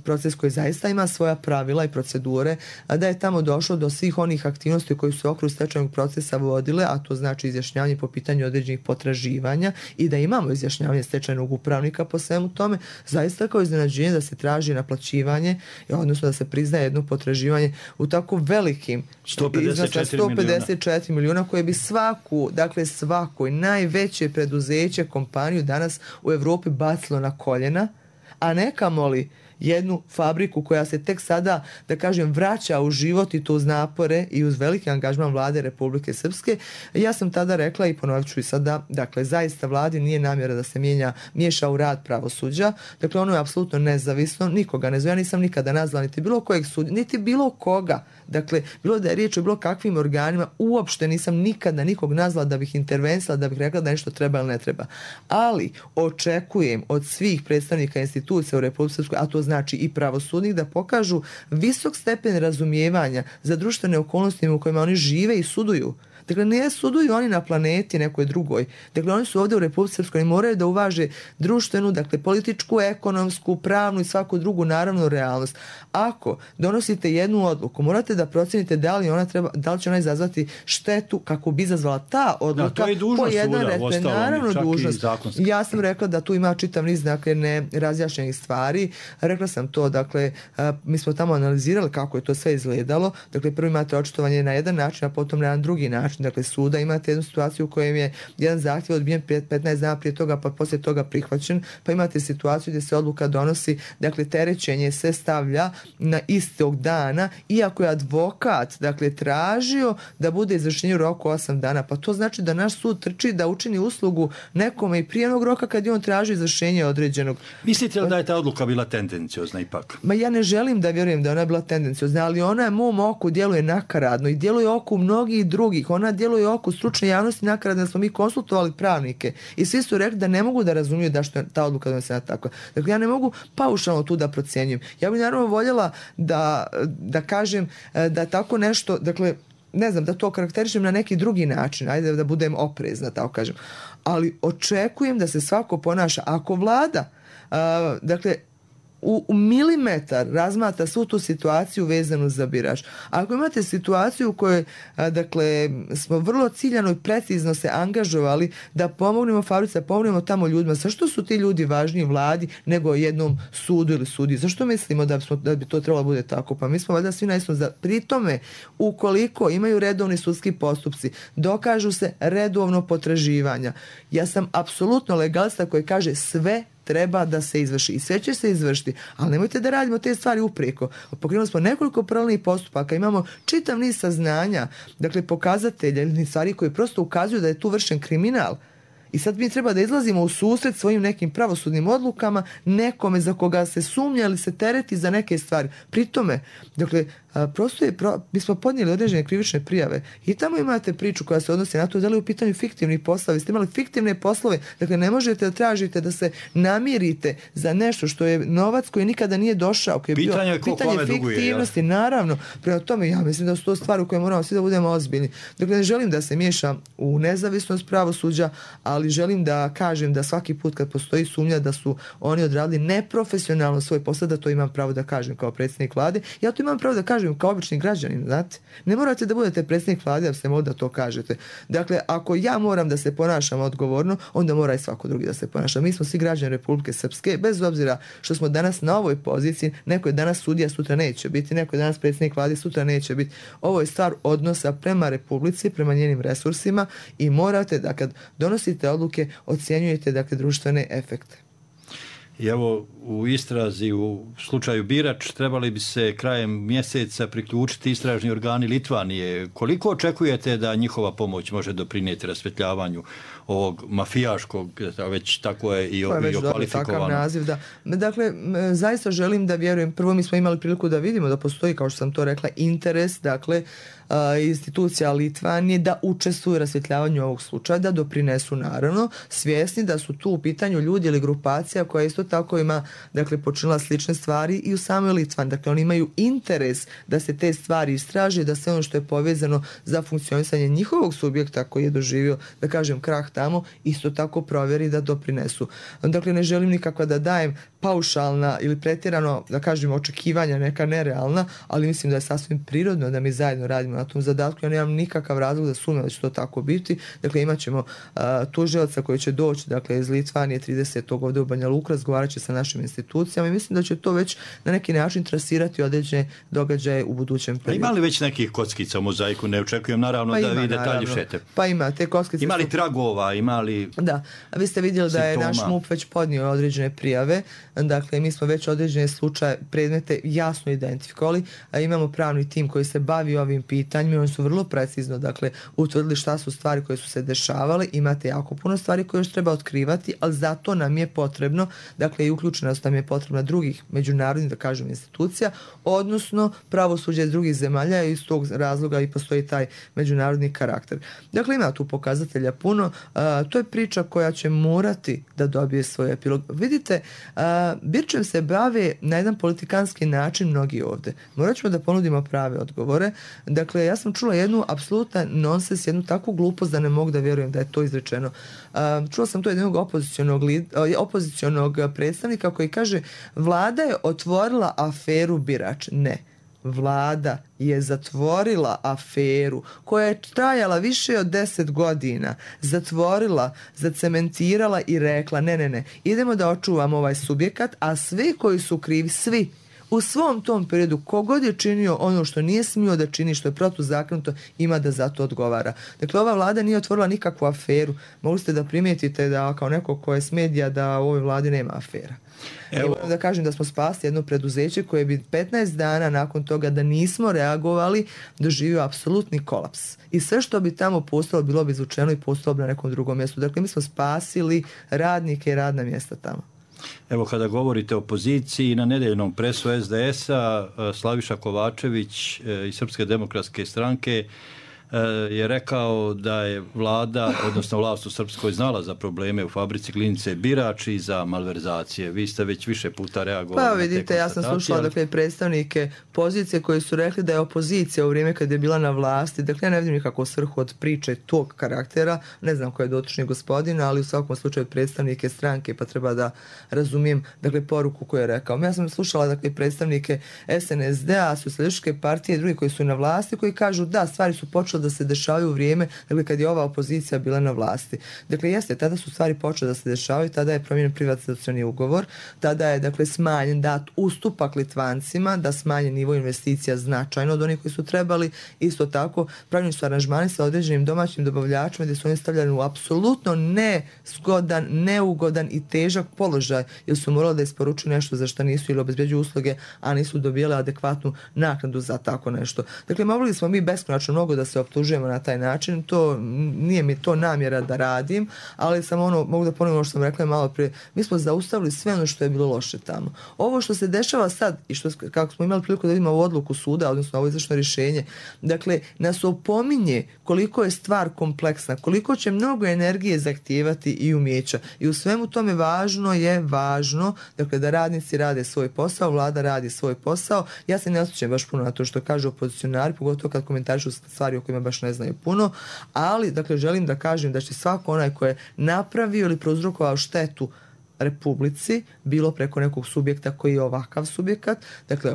proces koji zaista ima svoja pravila i procedure, a da je tamo došlo do svih onih aktivnosti koji su okru stečajnog procesa vodile, a to znači izjašnjavanje po pitanju određenih potraživanja i da imamo izjašnjavanje stečajnog upravnika po svemu tome, zaista kao iznenađenje da se traži naplaćivanje, odnosno da se priznaje jedno potraživanje u tako velikim 154 milijuna koje bi svako i najveće preduzeće, kompaniju danas u Evropi bacilo na koljena, a ne kamoli jednu fabriku koja se tek sada, da kažem, vraća u život i to uz napore i uz veliki angažman vlade Republike Srpske. Ja sam tada rekla i ponovit ću i sada, dakle, zaista vladi nije namjera da se miješa u rad pravosuđa. Dakle, ono je apsolutno nezavisno, nikoga ne zove. Ja nisam nikada nazvala niti bilo kojeg sudija, niti bilo koga. Dakle, bilo da je riječ o bilo kakvim organima, uopšte nisam nikada nikog nazvala da bih intervenisala, da bih rekla da nešto treba ili ne treba. Ali očekujem od svih predstavnika institucija u Republike Srpskoj, a to znači i pravosudnih, da pokažu visok stepen razumijevanja za društvene okolnosti u kojima oni žive i suduju. Dakle, ne suduju oni na planeti nekoj drugoj. Dakle, oni su ovdje u Republici Srpskoj i moraju da uvaže društvenu, dakle, političku, ekonomsku, pravnu i svaku drugu, naravno, realnost. Ako donosite jednu odluku, morate da procenite da li će ona izazvati štetu kako bi izazvala ta odluka po jedan red. Naravno, dužnost. Ja sam rekla da tu ima čitav niz, dakle, nerazjašnjenih stvari. Rekla sam to, dakle, mi smo tamo analizirali kako je to sve izgledalo. Dakle, prvo imate očitovanje na jedan način, a potom na jedan drugi način. Dakle, suda imate jednu situaciju u kojem je jedan zahtjev odbijen 15 dana prije toga, pa poslije toga prihvaćen, pa imate situaciju gdje se odluka donosi, dakle, terećenje se stavlja na istog dana, iako je advokat, dakle, tražio da bude izvršenje u roku 8 dana. Pa to znači da naš sud trči da učini uslugu nekome i prije onog roka kad je on traži izvršenje određenog. Mislite li da je ta odluka bila tendenciozna ipak? Ma ja ne želim da vjerujem da ona je bila tendenciozna, ali ona je mom oku djeluje nakaradno i djeluje oku mnogih drugih. Ona djeluje oku stručne javnosti nakaradno, da smo mi konsultovali pravnike i svi su rekli da ne mogu da razumiju da što je ta odluka donesena tako. Dakle, ja ne mogu paušalno tu da procjenjujem. Ja bih naravno voljela da kažem da tako nešto, dakle, ne znam, da to karakterišem na neki drugi način, ajde da budem oprezna, tako kažem. Ali očekujem da se svako ponaša. Ako vlada, dakle, u milimetar razmatra svu tu situaciju vezanu za birač. Ako imate situaciju u kojoj, dakle, smo vrlo ciljano i precizno se angažovali da pomognemo fabrici, da pomognemo tamo ljudima, zašto su ti ljudi važniji vladi nego jednom sudu ili sudiji? Zašto mislimo da bi to trebalo bude tako? Pa mi smo valjda svi naisno za... Pri tome, ukoliko imaju redovni sudski postupci, dokažu se redovno potraživanja. Ja sam apsolutno legalista koji kaže sve treba da se izvrši i sve će se izvršiti, ali nemojte da radimo te stvari uprijeko. Pokrenuli smo nekoliko paralelnih postupaka, imamo čitav niz saznanja, dakle pokazatelja ili stvari koji prosto ukazuju da je tu vršen kriminal. I sad mi treba da izlazimo u susret svojim nekim pravosudnim odlukama, nekome za koga se sumnja ili se tereti za neke stvari. Pri tome, dakle, mi smo podnijeli određene krivične prijave i tamo imate priču koja se odnosi na to da li je u pitanju fiktivni poslovi. Ste imali fiktivne poslove, dakle ne možete da tražite da se namirite za nešto što je novac koji nikada nije došao. Koji je pitanje fiktivnosti, naravno. Prema tome, ja mislim da su to stvari u koje moramo svi da budemo ozbiljni. Dakle, ne želim da se miješa u nezavisnost pravosuđa, ali želim da kažem da svaki put kad postoji sumnja da su oni odradili neprofesionalno svoj posao, da to imam pravo da kažem kao predsjednik vlade. Ja to imam pravo da kažem kao obični građanin, znate. Ne morate da budete predsjednik vlade da ste mogli da to kažete. Dakle, ako ja moram da se ponašam odgovorno, onda mora i svako drugi da se ponaša. Mi smo svi građani Republike Srpske, bez obzira što smo danas na ovoj poziciji, neko je danas sudija, sutra neće biti, neko je danas predsjednik vlade, sutra neće biti. Ovo je stvar odnosa prema Republici, prema njenim resursima i morate da kad donosite odluke, ocjenjujete dakle društvene efekte. I evo u istrazi u slučaju Birač trebali bi se krajem mjeseca priključiti istražni organi Litvanije. Koliko očekujete da njihova pomoć može doprinijeti rasvjetljavanju ovog mafijaškog, već tako je i okvalifikovano? Takav naziv, da. Dakle, zaista želim da vjerujem, prvo mi smo imali priliku da vidimo da postoji, kao što sam to rekla, interes, dakle, institucija Litvanije da učestvuju u rasvjetljavanju ovog slučaja, da doprinesu naravno, svjesni da su tu u pitanju ljudi ili grupacija koja isto tako ima, dakle, počinila slične stvari i u samoj Litvani. Dakle, oni imaju interes da se te stvari istraže, da se ono što je povezano za funkcionisanje njihovog subjekta koji je doživio, da kažem, krah tamo, isto tako provjeri da doprinesu. Dakle, ne želim nikako da dajem paušalna ili pretjerano, da kažem, očekivanja neka nerealna, ali mislim da je sasvim prirodno da mi zajedno radimo na tom zadatku. Ja nemam nikakav razlog da sumnjam da će to tako biti. Dakle, imat ćemo tužioca koji će doći, dakle, iz Litvanije 30. ovdje u Banja Luku, razgovarat će sa našim institucijama i mislim da će to već na neki način trasirati određene događaje u budućem periodu. Ima li već nekih kockica u mozaiku? Ne očekujem naravno da vi detalji šete. Pa ima, te kockice. Ima li tragova, ima li... Da, a vi ste vidjeli da je naš MUP već podnio određene prijave. Dakle, mi smo već određene slučaje, predmete jasno identifikovali. Imamo pravni tim koji se bavi ovim pitanjima. Oni su vrlo precizno, dakle, utvrdili šta su stvari koje su se dešavale. Imate jako puno stvari koje još treba otkrivati, ali zato nam je potrebno, dakle, i uključenost nam je potrebna drugih međunarodnih, da kažem, institucija, odnosno pravosuđe iz drugih zemalja i iz tog razloga i postoji taj međunarodni karakter. Dakle, ima tu pokazatelja puno. To je priča koja će morati da dobije svoj epilog. Vidite, Birčem se bave na jedan politikanski način mnogi ovdje. Morat ćemo da ponudimo prave odgovore. Dakle, ja sam čula jednu apsolutan nonsens, jednu takvu glupost da ne mogu da vjerujem da je to izrečeno. Čula sam to jednog opozicionog predstavnika koji kaže vlada je otvorila aferu Birač. Ne. Vlada je zatvorila aferu koja je trajala više od 10 godina. Zatvorila, zacementirala i rekla ne, idemo da očuvamo ovaj subjekat, a svi koji su krivi, svi, u svom tom periodu, kogod je činio ono što nije smio da čini, što je protuzakonito, ima da za to odgovara. Dakle, ova vlada nije otvorila nikakvu aferu. Mogli ste da primijetite da kao neko ko je s medija da u ovoj vladi nema afera. Evo da kažem da smo spasili jedno preduzeće koje bi 15 dana nakon toga da nismo reagovali doživio apsolutni kolaps. I sve što bi tamo postalo bilo bi izvučeno i postalo bi na nekom drugom mjestu. Dakle, mi smo spasili radnike i radna mjesta tamo. Evo, kada govorite o opoziciji, na nedeljnom presu SDS-a Slaviša Kovačević iz Srpske demokratske stranke je rekao da je vlada, odnosno vlast u Srpskoj znala za probleme u fabrici Glinice Birač i za malverzacije. Vi ste već više puta reagovali. Pa vidite, ja sam slušala dakle, predstavnike pozicije koji su rekli da je opozicija u vrijeme kad je bila na vlasti, dakle ja ne vidim nikakvu svrhu od priče tog karaktera, ne znam ko je dotični gospodin, ali u svakom slučaju predstavnike stranke, pa treba da razumijem dakle, poruku koju je rekao. Ja sam slušala dakle, predstavnike SNSD-a, Socijalističke partije i drugi koji su na vlasti, koji kažu da, stvari su počele da se dešavaju u vrijeme, dakle kad je ova opozicija bila na vlasti. Dakle, jeste, tada su stvari počele da se dešavaju, tada je promijenjen privatizacioni ugovor, tada je, dakle, smanjen dat ustupak Litvancima, da smanje nivo investicija značajno od onih koji su trebali. Isto tako, pravljeni su aranžmani sa određenim domaćim dobavljačima gdje su oni stavljani u apsolutno nezgodan, neugodan i težak položaj, jer su morali da isporučuju nešto za što nisu ili obezbeđuju usluge, a nisu dobijali adekvatnu naknadu za tako nešto. Dakle, mogli smo mi beskonačno mnogo da se optužujemo na taj način, to nije mi to namjera da radim, ali samo mogu da ponovim ono što sam rekla malo prije, mi smo zaustavili sve ono što je bilo loše tamo. Ovo što se dešava sad i što, kako smo imali priliku da vidimo ovu odluku suda, odnosno ovo izvršno rješenje, dakle, nas opominje koliko je stvar kompleksna, koliko će mnogo energije zahtijevati i umijeća. I u svemu tome važno, dakle, da radnici rade svoj posao, vlada radi svoj posao. Ja se ne osjećam baš puno na to što kažu opozicionari, pogotovo kad komentarišu stvari o kojima baš ne znaju puno, ali, dakle, želim da kažem da će svako onaj ko je napravio ili prouzrokovao štetu Republici, bilo preko nekog subjekta koji je ovakav subjekat, dakle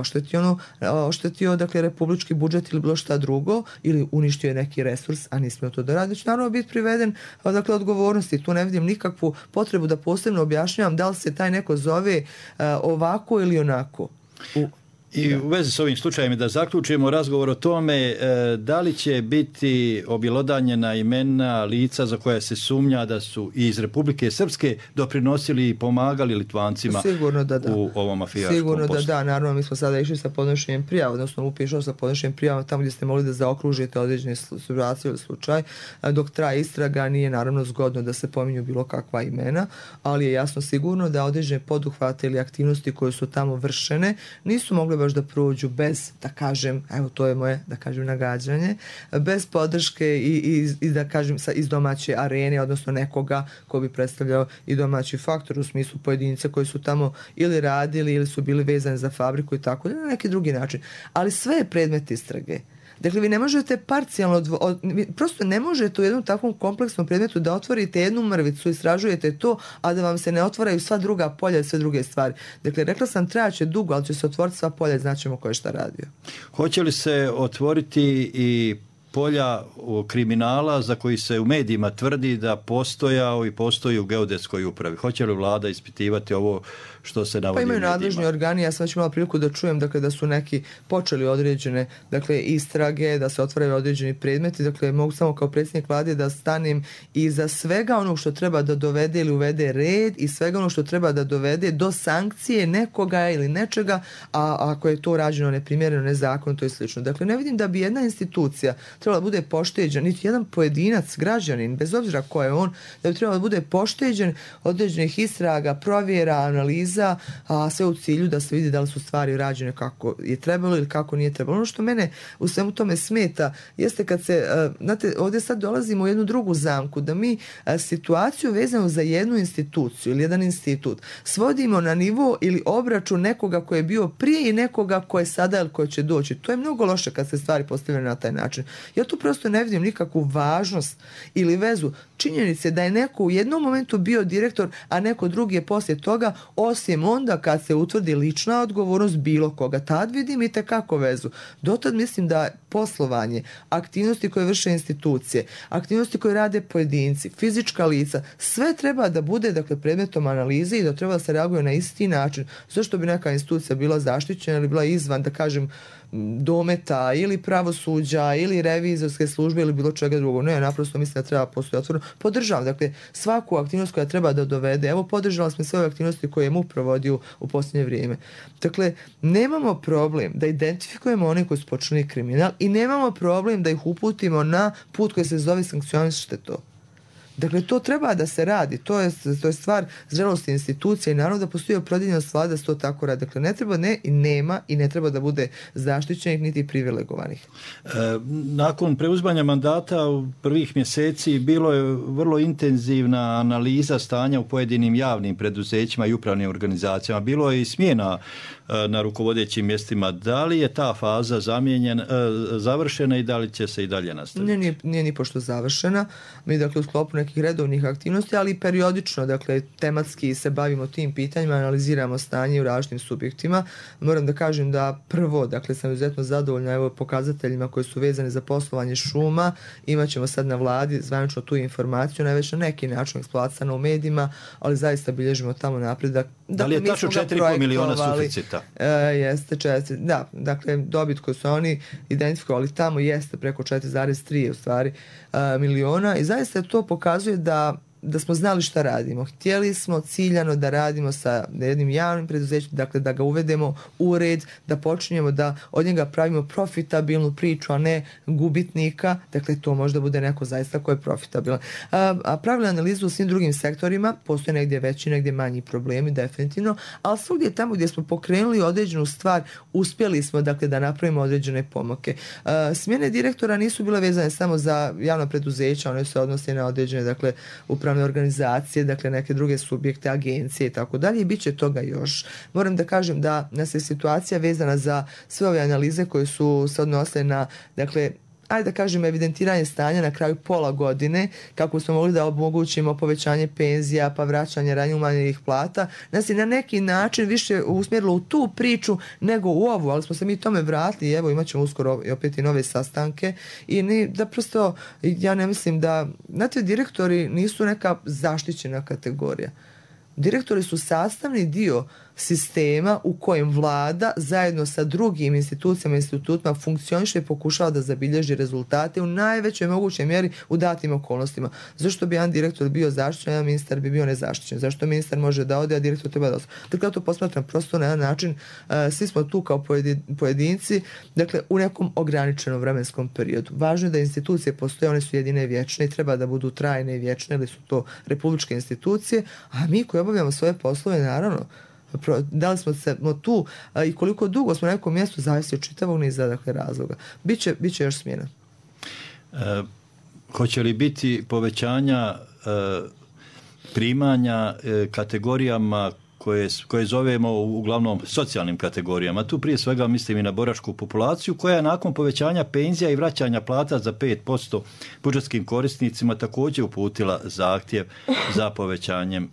oštetio dakle republički budžet ili bilo šta drugo, ili uništio je neki resurs, a nismo to da radi, će naravno biti priveden dakle odgovornosti. Tu ne vidim nikakvu potrebu da posebno objašnjavam da li se taj neko zove ovako ili onako. I u vezi s ovim slučajem da zaključimo razgovor o tome da li će biti objelodanjena imena lica za koja se sumnja da su iz Republike Srpske doprinosili i pomagali Litvancima u ovom mafijaškom Sigurno poslu. Da, naravno mi smo sada išli sa podnošenjem prijava, odnosno upišao sa podnošenjem prijava tamo gdje ste mogli da zaokružite određene situacije ili slučaj. Dok traje istraga nije naravno zgodno da se pominju bilo kakva imena, ali je jasno sigurno da određene poduhvate ili aktivnosti koje su tamo vršene nisu mogli baš da prođu bez, da kažem, evo to je moje, da kažem, nagađanje, bez podrške i da kažem iz domaće arene, odnosno nekoga ko bi predstavljao i domaći faktor u smislu pojedinca koji su tamo ili radili ili su bili vezani za fabriku i tako, na neki drugi način. Ali sve je predmet istrage. Dakle, vi ne možete parcijalno, prosto ne možete u jednom takvom kompleksnom predmetu da otvorite jednu mrvicu, istražujete to, a da vam se ne otvaraju sva druga polja i sve druge stvari. Dakle, rekla sam, trajaće dugo, ali će se otvoriti sva polja i znaćemo ko je šta radio. Hoće li se otvoriti i polja kriminala za koji se u medijima tvrdi da postojao i postoji u geodetskoj upravi? Hoće li vlada ispitivati ovo što se navodi u medijima? Pa imaju nadležni organi, ja sam već imala priliku da čujem dakle, da su neki počeli određene istrage, da se otvaraju određeni predmeti, dakle mogu samo kao predsjednik vlade da stanem iza svega onog što treba da dovede ili uvede red i svega onog što treba da dovede do sankcije nekoga ili nečega, a ako je to rađeno neprimjereno, nezakonito i slično. Dakle, ne vidim da bi jedna institucija trebala da bude pošteđen, niti jedan pojedinac, građanin, bez obzira ko je on, da bi trebalo da bude pošteđen određenih istraga, provjera, analiza, a sve u cilju da se vidi da li su stvari rađene kako je trebalo ili kako nije trebalo. Ono što mene u svemu tome smeta jeste kad se, znate, ovdje sad dolazimo u jednu drugu zamku, da mi situaciju vezanu za jednu instituciju ili jedan institut svodimo na nivo ili obračun nekoga koji je bio prije i nekoga ko je sada ili ko će doći. To je mnogo loše kad se stvari postavljaju na taj način. Ja tu prosto ne vidim nikakvu važnost ili vezu činjenice da je neko u jednom momentu bio direktor, a neko drugi je poslije toga, osim onda kad se utvrdi lična odgovornost bilo koga. Tad vidim i tekako vezu. Dotad mislim da poslovanje, aktivnosti koje vrše institucije, aktivnosti koje rade pojedinci, fizička lica, sve treba da bude dakle, predmetom analize i da treba da se reaguje na isti način. Zašto bi neka institucija bila zaštićena ili bila izvan, da kažem, dometa ili pravosuđa ili revizorske službe ili bilo čega drugog. Ne, naprosto mislim da treba postojati otvoreno. Podržavam, dakle, svaku aktivnost koja treba da dovede. Evo, podržala smo sve ove aktivnosti koje je MUP provodio u posljednje vrijeme. Dakle, nemamo problem da identifikujemo one koji su počinili kriminal i nemamo problem da ih uputimo na put koji se zove sankcionište to. Dakle, to treba da se radi. To je stvar zrelosti institucije i naravno da postoji opredjeljenost vlade da se to tako radi. Dakle, ne treba, nema i ne treba da bude zaštićenih niti privilegovanih. Nakon preuzimanja mandata u prvih mjeseci bilo je vrlo intenzivna analiza stanja u pojedinim javnim preduzećima i upravnim organizacijama. Bilo je i smjena na rukovodećim mjestima. Da li je ta faza završena i da li će se i dalje nastaviti? Nije ni pošto završena. Mi dakle u sklopu neke nekih redovnih aktivnosti, ali i periodično, dakle, tematski se bavimo tim pitanjima, analiziramo stanje u različitim subjektima. Moram da kažem da prvo, dakle, sam izuzetno zadovoljna evo pokazateljima koji su vezani za poslovanje šuma. Imaćemo sad na vladi zvanično tu informaciju, ona je već na neki način eksploatisana u medijima, ali zaista bilježimo tamo napredak. Da li je tačno 4,5 miliona suficita? Jeste 4, da, dakle, dobit koju su oni identifikovali tamo jeste preko 4,3 u stvari miliona i zaista to pokazuje da smo znali šta radimo. Htjeli smo ciljano da radimo sa jednim javnim preduzećem, dakle da ga uvedemo u red, da počinjemo da od njega pravimo profitabilnu priču, a ne gubitnika. Dakle, to možda bude neko zaista ko je profitabilan. A pravili analizu u svim drugim sektorima, postoje negdje veći, negdje manji problemi, definitivno, ali svugdje tamo gdje smo pokrenuli određenu stvar, uspjeli smo, dakle, da napravimo određene pomake. Smjene direktora nisu bile vezane samo za javna preduzeća, one se odnose na određene, dakle, upravne organizacije, dakle neke druge subjekte, agencije i tako dalje i bit će toga još. Moram da kažem da nas je situacija vezana za sve ove analize koje su se odnosile na, dakle, ajde da kažem, evidentiranje stanja na kraju pola godine, kako smo mogli da omogućimo povećanje penzija, pa vraćanje ranije umanjenih plata, nas je na neki način više usmjerilo u tu priču nego u ovu, ali smo se mi tome vratili, evo imat ćemo uskoro opet i nove sastanke i da prosto, ja ne mislim da, znate, direktori nisu neka zaštićena kategorija. Direktori su sastavni dio sistema u kojem vlada zajedno sa drugim institucijama i institutima funkcioniše i pokušava da zabilježi rezultate u najvećoj mogućoj mjeri u datim okolnostima. Zašto bi jedan direktor bio zaštićen, jedan ministar bi bio nezaštićen? Zašto ministar može da ode, a direktor treba da ostane? Dakle, ja to posmatram prosto na jedan način. Svi smo tu kao pojedinci, dakle, u nekom ograničenom vremenskom periodu. Važno je da institucije postoje, one su jedine i vječne i treba da budu trajne i vječne, ili su to republičke institucije, a mi koji obavljamo svoje poslove, naravno, da li smo se tu i koliko dugo smo na nekom mjestu zavisi od čitavog niza, dakle, razloga. Biće još smjena. Hoće li biti povećanja primanja kategorijama koje zovemo uglavnom socijalnim kategorijama? Tu prije svega mislim i na boračku populaciju koja je nakon povećanja penzija i vraćanja plata za 5% budžetskim korisnicima također uputila zahtjev za povećanjem.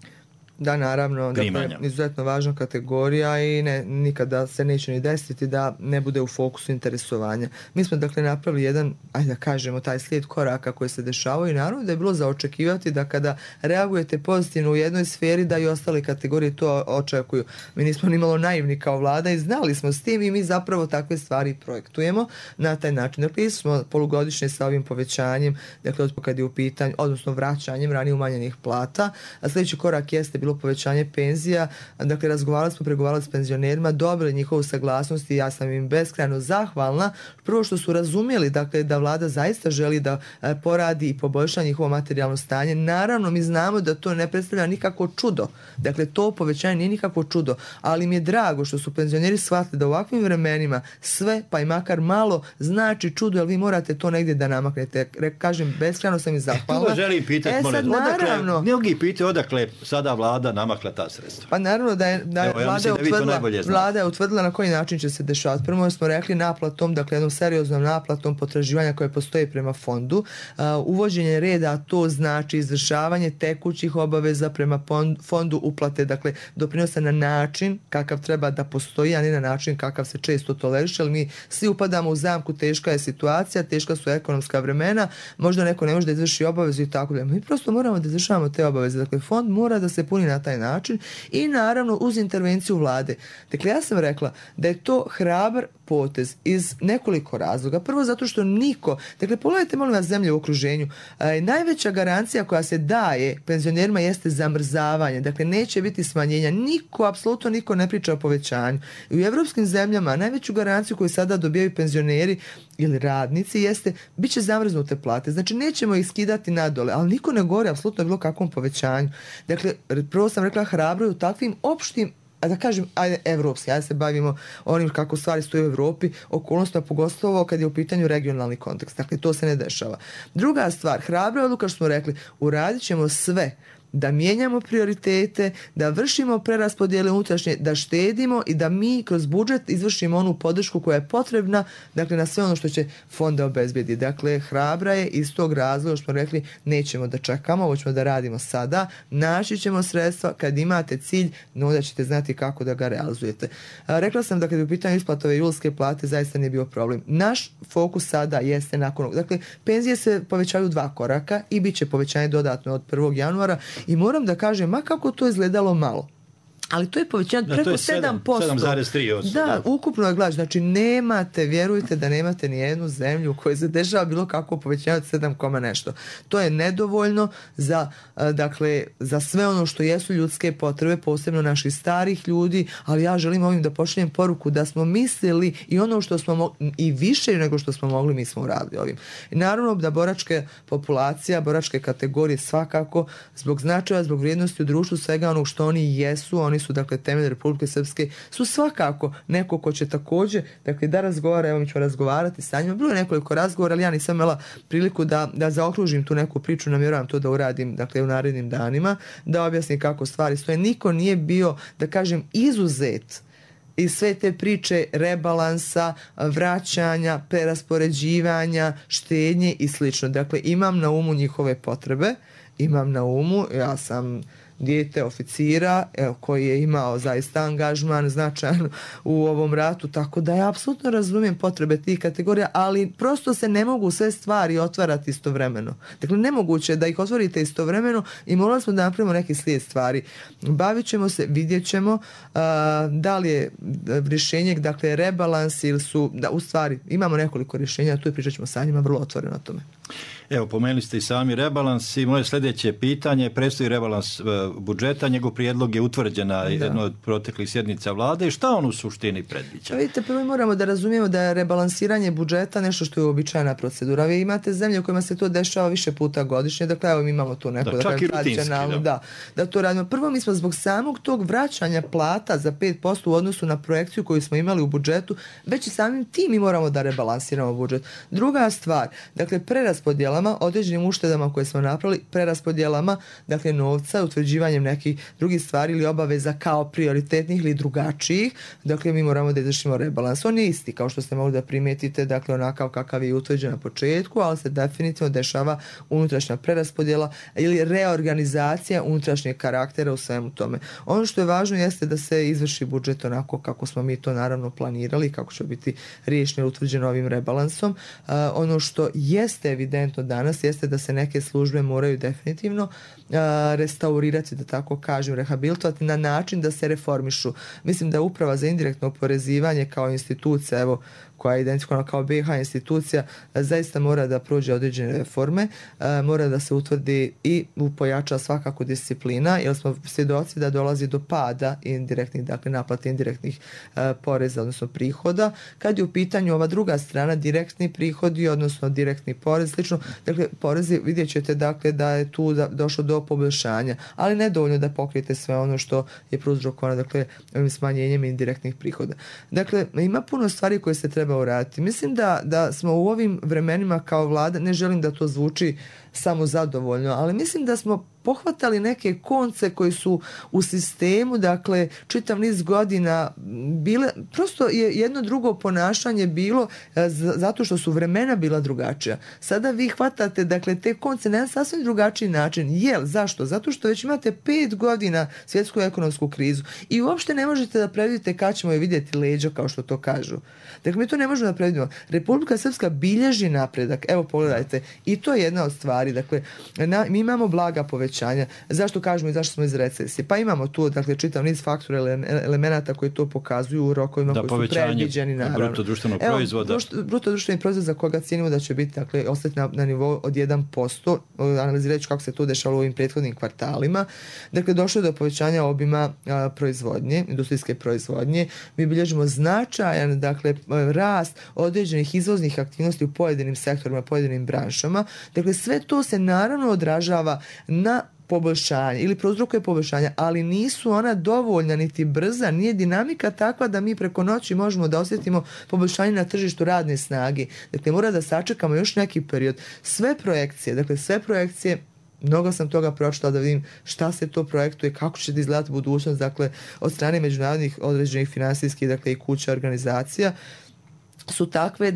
Da, naravno, dakle, izuzetno važna kategorija i nikada se neće ni desiti da ne bude u fokusu interesovanja. Mi smo, dakle, napravili jedan, ajde da kažemo, taj slijed koraka koji se dešavaju i naravno da je bilo za očekivati da kada reagujete pozitivno u jednoj sferi da i ostale kategorije to očekuju. Mi nismo ni malo naivni kao vlada i znali smo s tim i mi zapravo takve stvari projektujemo na taj način. Dakle, smo polugodišnje sa ovim povećanjem, dakle, kad je u pitanju, odnosno vraćanjem ranije umanjenih plata, a sljedeći korak jeste bilo povećanje penzija. Dakle, pregovarali s penzionerima, dobili njihovu saglasnost i ja sam im beskrajno zahvalna. Prvo što su razumjeli, dakle, da vlada zaista želi da poradi i poboljša njihovo materijalno stanje. Naravno, mi znamo da to ne predstavlja nikako čudo. Dakle, to povećanje nije nikako čudo, ali mi je drago što su penzioneri shvatili da u ovakvim vremenima sve, pa i makar malo, znači čudo, jer vi morate to negdje da namaknete. Kažem, beskrajno sam im zahvalna. To želim pitati, mnogi pitaju odakle sada vlada namakla ta sredstva. Pa naravno da vlada je utvrdila na koji način će se dešavati. Prvo smo rekli naplatom, dakle jednom serioznom naplatom potraživanja koje postoje prema fondu. Uvođenje reda, to znači izvršavanje tekućih obaveza prema fondu uplate, dakle doprinose na način kakav treba da postoji, a ne na način kakav se često toleriše, ali mi svi upadamo u zamku, teška je situacija, teška su ekonomska vremena, možda neko ne može da izvrši obavezu i tako da. Mi prosto moramo da izvršavamo te obaveze. Dakle, fond mora da se puni na taj način i naravno uz intervenciju vlade. Dakle, ja sam rekla da je to hrabar potez iz nekoliko razloga. Prvo zato što niko, dakle, pogledajte molim vas zemlje u okruženju, najveća garancija koja se daje penzionerima jeste zamrzavanje, dakle neće biti smanjenja, apsolutno niko ne priča o povećanju. I u evropskim zemljama najveću garanciju koju sada dobijaju penzioneri ili radnici jeste bit će zamrznute plate, znači nećemo ih skidati nadole, ali niko ne govori apsolutno bilo kakvom povećanju. Dakle, prvo sam rekla hrabro u takvim opštim, a da kažem, ajde, evropski, ajde se bavimo onim kako stvari stoje u Evropi, okolnostima, pogotovo kad je u pitanju regionalni kontekst. Dakle, to se ne dešava. Druga stvar, hrabra odluka što smo rekli, uradit ćemo sve da mijenjamo prioritete, da vršimo preraspodjele unutrašnje, da štedimo i da mi kroz budžet izvršimo onu podršku koja je potrebna, dakle na sve ono što će fonda obezbediti. Dakle, hrabra je iz tog razloga što smo rekli nećemo da čekamo, ovo ćemo da radimo sada, naći ćemo sredstva, kad imate cilj, onda ćete znati kako da ga realizujete. Rekla sam da kad je u pitanju isplatove julske plate zaista nije bio problem. Naš fokus sada jeste nakon, dakle, penzije se povećaju 2 koraka i bit će povećanje dodatno od 1. januara i moram da kažem, ma kako to izgledalo malo, ali to je povećanje preko 7%. 7,3%. Da, ukupno je glas. Znači, vjerujte da nemate ni jednu zemlju u kojoj se dešava bilo kako povećanje od 7, nešto. To je nedovoljno za sve ono što jesu ljudske potrebe, posebno naših starih ljudi, ali ja želim ovim da pošaljem poruku da smo mislili i ono što smo i više nego što smo mogli, mi smo uradili ovim. I naravno da boračka populacija, boračke kategorije svakako zbog značaja, zbog vrijednosti u društvu, svega onog što oni jesu, oni su dakle temelj Republike Srpske, su svakako neko ko će također dakle da razgovara, evo mi ću razgovarati sa njima. Bilo je nekoliko razgovora, ali ja nisam imala priliku da zaokružim tu neku priču, namjeravam to da uradim dakle u narednim danima, da objasnim kako stvari stoje. Niko nije bio, da kažem, izuzet i sve te priče rebalansa, vraćanja, preraspoređivanja, štednje i slično. Dakle, imam na umu njihove potrebe, imam na umu, ja sam dijete oficira koji je imao zaista angažman značajan u ovom ratu, tako da ja apsolutno razumijem potrebe tih kategorija, ali prosto se ne mogu sve stvari otvarati istovremeno. Dakle, nemoguće je da ih otvorite istovremeno i morali smo da napravimo neki slijed stvari. Bavit ćemo se, vidjet ćemo da li je rješenje, dakle, rebalans ili su, da, u stvari imamo nekoliko rješenja, tu pričat ćemo sa njima vrlo otvoreno o tome. Evo, pomenuli ste i sami rebalans i moje sljedeće pitanje, predstoji rebalans budžeta, njegov prijedlog je utvrđen na jednoj od proteklih sjednica vlade i šta on u suštini predviđa? Vidite, prvo moramo da razumijemo da je rebalansiranje budžeta nešto što je uobičajena procedura. Vi imate zemlje u kojima se to dešava više puta godišnje, dakle evo mi imamo tu neko tradicionalno, da to radimo. Prvo, mi smo zbog samog tog vraćanja plata za 5% u odnosu na projekciju koju smo imali u budžetu, već i samim tim mi moramo da rebalansiramo budžet. Druga stvar, dakle preraspodjela određenim uštedama koje smo napravili, preraspodjelama, dakle novca, utvrđivanjem nekih drugih stvari ili obaveza kao prioritetnih ili drugačijih, dakle mi moramo da izvršimo rebalans. On je isti, kao što ste mogli da primijetite, dakle onakav kakav je utvrđen na početku, ali se definitivno dešava unutrašnja preraspodjela ili reorganizacija unutrašnjeg karaktera u svemu tome. Ono što je važno jeste da se izvrši budžet onako kako smo mi to naravno planirali, kako će biti riješeno utvrđeno ovim rebalansom. Ono što jeste evidentno danas jeste da se neke službe moraju definitivno restaurirati, da tako kažem, rehabilitovati na način da se reformišu. Mislim da Uprava za indirektno oporezivanje kao institucija, evo, koja je identifikovana kao BiH institucija, zaista mora da prođe određene reforme, mora da se utvrdi i pojača svakako disciplina, jer smo svjedoci da dolazi do pada indirektnih, dakle naplate indirektnih poreza, odnosno prihoda. Kad je u pitanju ova druga strana, direktni prihodi, odnosno direktni porez, slično, dakle porezi, vidjet ćete dakle da je tu došlo do poboljšanja, ali nedovoljno da pokrijete sve ono što je prouzrokovano, dakle, ovim smanjenjem indirektnih prihoda. Dakle, ima puno stvari koje se treba uraditi. Mislim da smo u ovim vremenima kao vlada, ne želim da to zvuči samo zadovoljno, ali mislim da smo pohvatali neke konce koji su u sistemu, dakle, čitav niz godina bile, prosto je jedno drugo ponašanje bilo zato što su vremena bila drugačija. Sada vi hvatate, dakle, te konce na jedan sasvim drugačiji način. Zašto? Zato što već imate 5 godina svjetsku ekonomsku krizu i uopšte ne možete da predvidite kad ćemo je vidjeti leđa, kao što to kažu. Dakle, mi to ne možemo da predvidimo. Republika Srpska bilježi napredak. Evo, pogledajte. I to je jedna od stvari. Dakle, mi imamo blaga povećanja. Zašto kažemo i zašto smo iz recesije? Pa imamo tu, dakle, čitav niz faktora elemenata koji to pokazuju u rokovima koji su predviđeni, naravno. Bruto društvenog proizvoda. Bruto društveni proizvod za koga cijenimo da će biti, dakle, ostati na nivou od 1%. Analizirajući kako se to dešavalo u ovim prethodnim kvartalima. Dakle, došlo je do povećanja obima proizvodnje, industrijske proizvodnje. Mi bilježimo značajan, dakle, rast određenih izvoznih aktivnosti u pojedinim sektorima, pojedinim branšama. Dakle, sve to se naravno odražava na poboljšanje ili prouzrokuje poboljšanja, ali nisu ona dovoljna niti brza, nije dinamika takva da mi preko noći možemo da osjetimo poboljšanje na tržištu radne snage. Dakle, mora da sačekamo još neki period. Sve projekcije Mnogo sam toga pročitala da vidim šta se to projektuje, kako će da izgledati budućnost, dakle, od strane međunarodnih određenih finansijskih, dakle, i kuća, organizacija, su takve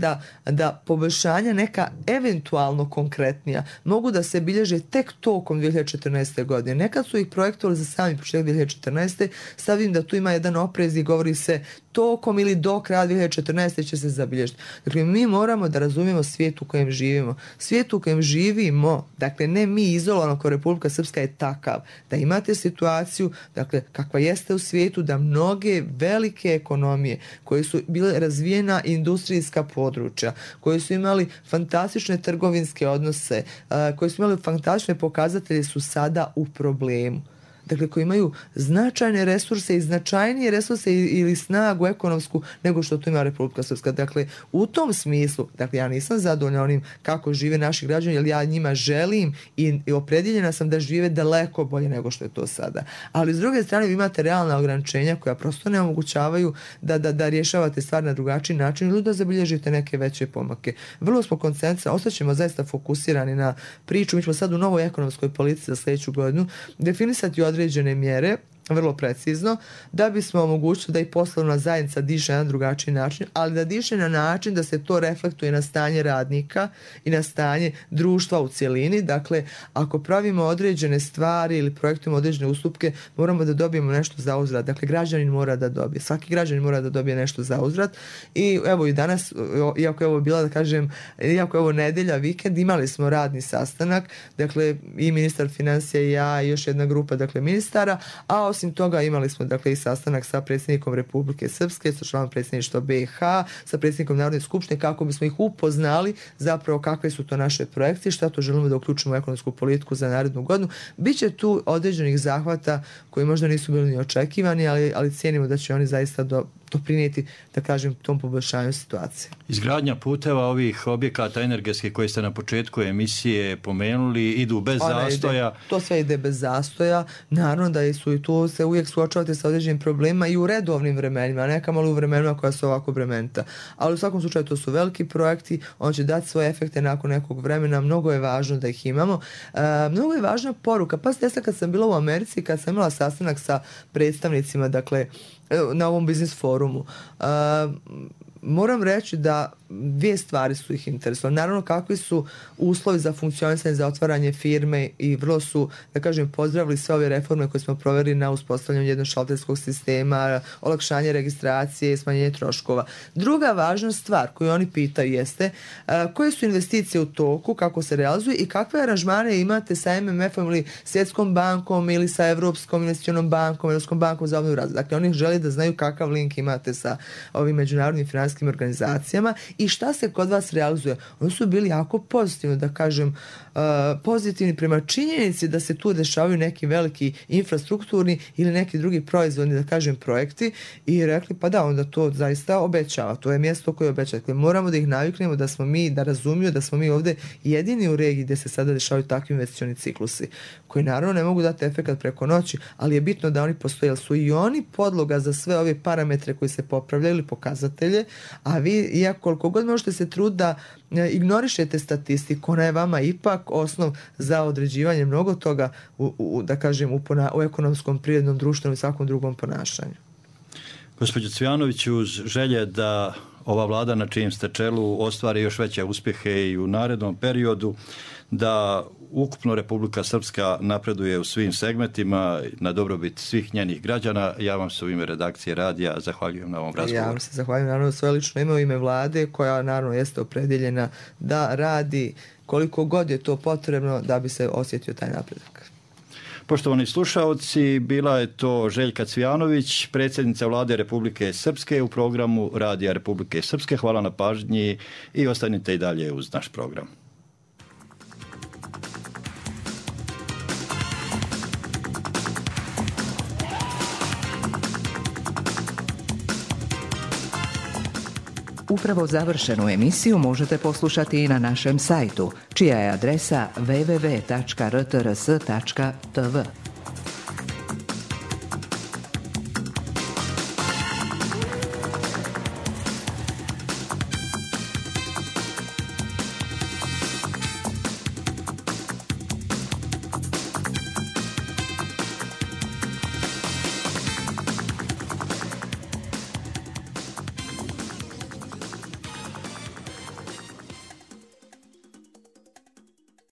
da poboljšanja neka eventualno konkretnija mogu da se bilježe tek tokom 2014. godine. Nekad su ih projektovali za sami početak 2014. Sad vidim da tu ima jedan oprez i govori se tokom ili do kraja 2014. će se zabilježiti. Dakle, mi moramo da razumijemo svijet u kojem živimo. Svijet u kojem živimo, dakle, ne mi izolovano kao Republika Srpska, je takav da imate situaciju, dakle, kakva jeste u svijetu, da mnoge velike ekonomije koje su bile razvijena industrijska područja, koji su imali fantastične trgovinske odnose, koji su imali fantastične pokazatelje, su sada u problemu. Dakle, koji imaju značajne resurse i značajnije resurse ili snagu ekonomsku nego što to ima Republika Srpska. Dakle, u tom smislu, dakle, ja nisam zadovoljna onim kako žive naši građani, jer ja njima želim i opredjeljena sam da žive daleko bolje nego što je to sada. Ali s druge strane vi imate realna ograničenja koja prosto ne omogućavaju da rješavate stvari na drugačiji način ili da zabilježite neke veće pomake. Vrlo smo koncentrirani, ostaćemo zaista fokusirani na priču. Mi ćemo sad u novoj ekonomskoj politici za sljedeću godinu definisati određene mjere, vrlo precizno, da bismo omogućili da i poslovna zajednica diše na drugačiji način, ali da diše na način da se to reflektuje na stanje radnika i na stanje društva u cjelini. Dakle, ako pravimo određene stvari ili projektujemo određene ustupke, moramo da dobijemo nešto za uzvrat. Dakle, građanin mora da dobije. Svaki građanin mora da dobije nešto za uzvrat. I evo i danas, iako je ovo bila, da kažem, iako je ovo nedelja, vikend, imali smo radni sastanak, dakle, i ministar financija i ja i još jedna grupa, dakle, ministara, a osim toga imali smo, dakle, i sastanak sa predsjednikom Republike Srpske, sa članom predsjedništva BiH, sa predsjednikom Narodne skupštine, kako bismo ih upoznali zapravo kakve su to naše projekcije, šta to želimo da uključimo u ekonomsku politiku za narednu godinu. Biće tu određenih zahvata koji možda nisu bili ni očekivani, ali cijenimo da će oni zaista doprinijeti, da kažem, tom poboljšanju situacije. Izgradnja puteva ovih objekata energetskih koje ste na početku emisije pomenuli idu bez zastoja. To sve ide bez zastoja. Naravno da su i tu se uvijek suočavate sa određenim problemima i u redovnim vremenima, neka malo u vremenima koja su ovako bremenita. Ali u svakom slučaju to su veliki projekti, on će dati svoje efekte nakon nekog vremena, mnogo je važno da ih imamo. Mnogo je važna poruka. Pa kad sam bila u Americi, kad sam imala sastanak sa predstavnicima, dakle, na ovom biznis forumu, moram reći da dvije stvari su ih interesovali. Naravno, kakvi su uslovi za funkcionisanje, za otvaranje firme i vrlo su, da kažem, pozdravili sve ove reforme koje smo proveli na uspostavljanju jednog šalterskog sistema, olakšanje registracije, smanjenje troškova. Druga važna stvar koju oni pitaju jeste koje su investicije u toku, kako se realizuju i kakve aranžmane imate sa MMF-om ili Svjetskom bankom ili sa Evropskom investicionom bankom, Evropskom bankom za obnovu i razvoj. Dakle, oni žele da znaju kakav link imate sa ovim međunarodnim finansijskim organizacijama i šta se kod vas realizuje. Oni su bili jako pozitivni, da kažem, pozitivni prema činjenici da se tu dešavaju neki veliki infrastrukturni ili neki drugi proizvodni, da kažem, projekti i rekli pa da, onda to zaista obećava. To je mjesto koje obećava. Dakle, moramo da ih naviknemo da smo mi, da razumiju da smo mi ovdje jedini u regiji gdje se sada dešavaju takvi investicioni ciklusi koji naravno ne mogu dati efekat preko noći, ali je bitno da oni postoje, jer su i oni podloga za sve ove parametre koji se popravljaju ili pokazatelje, a vi, iako koliko god možete se truditi da ignorišete statistiku, ona je vama ipak osnov za određivanje mnogo toga da kažem, u ekonomskom, prirodnom, društvenom i svakom drugom ponašanju. Gospođo Cvijanović, uz želje da ova vlada na čijem ste čelu ostvari još veće uspjehe i u narednom periodu, da ukupno Republika Srpska napreduje u svim segmentima na dobrobit svih njenih građana. Ja vam se u ime redakcije radija zahvaljujem na ovom razgovoru. Ja vam se zahvaljujem naravno svoje lično ime u ime vlade koja naravno jeste opredjeljena da radi koliko god je to potrebno da bi se osjetio taj napredak. Poštovani slušaoci, bila je to Željka Cvijanović, predsjednica Vlade Republike Srpske u programu Radija Republike Srpske. Hvala na pažnji i ostanite i dalje uz naš program. Upravo završenu emisiju možete poslušati i na našem sajtu, čija je adresa www.rtrs.tv.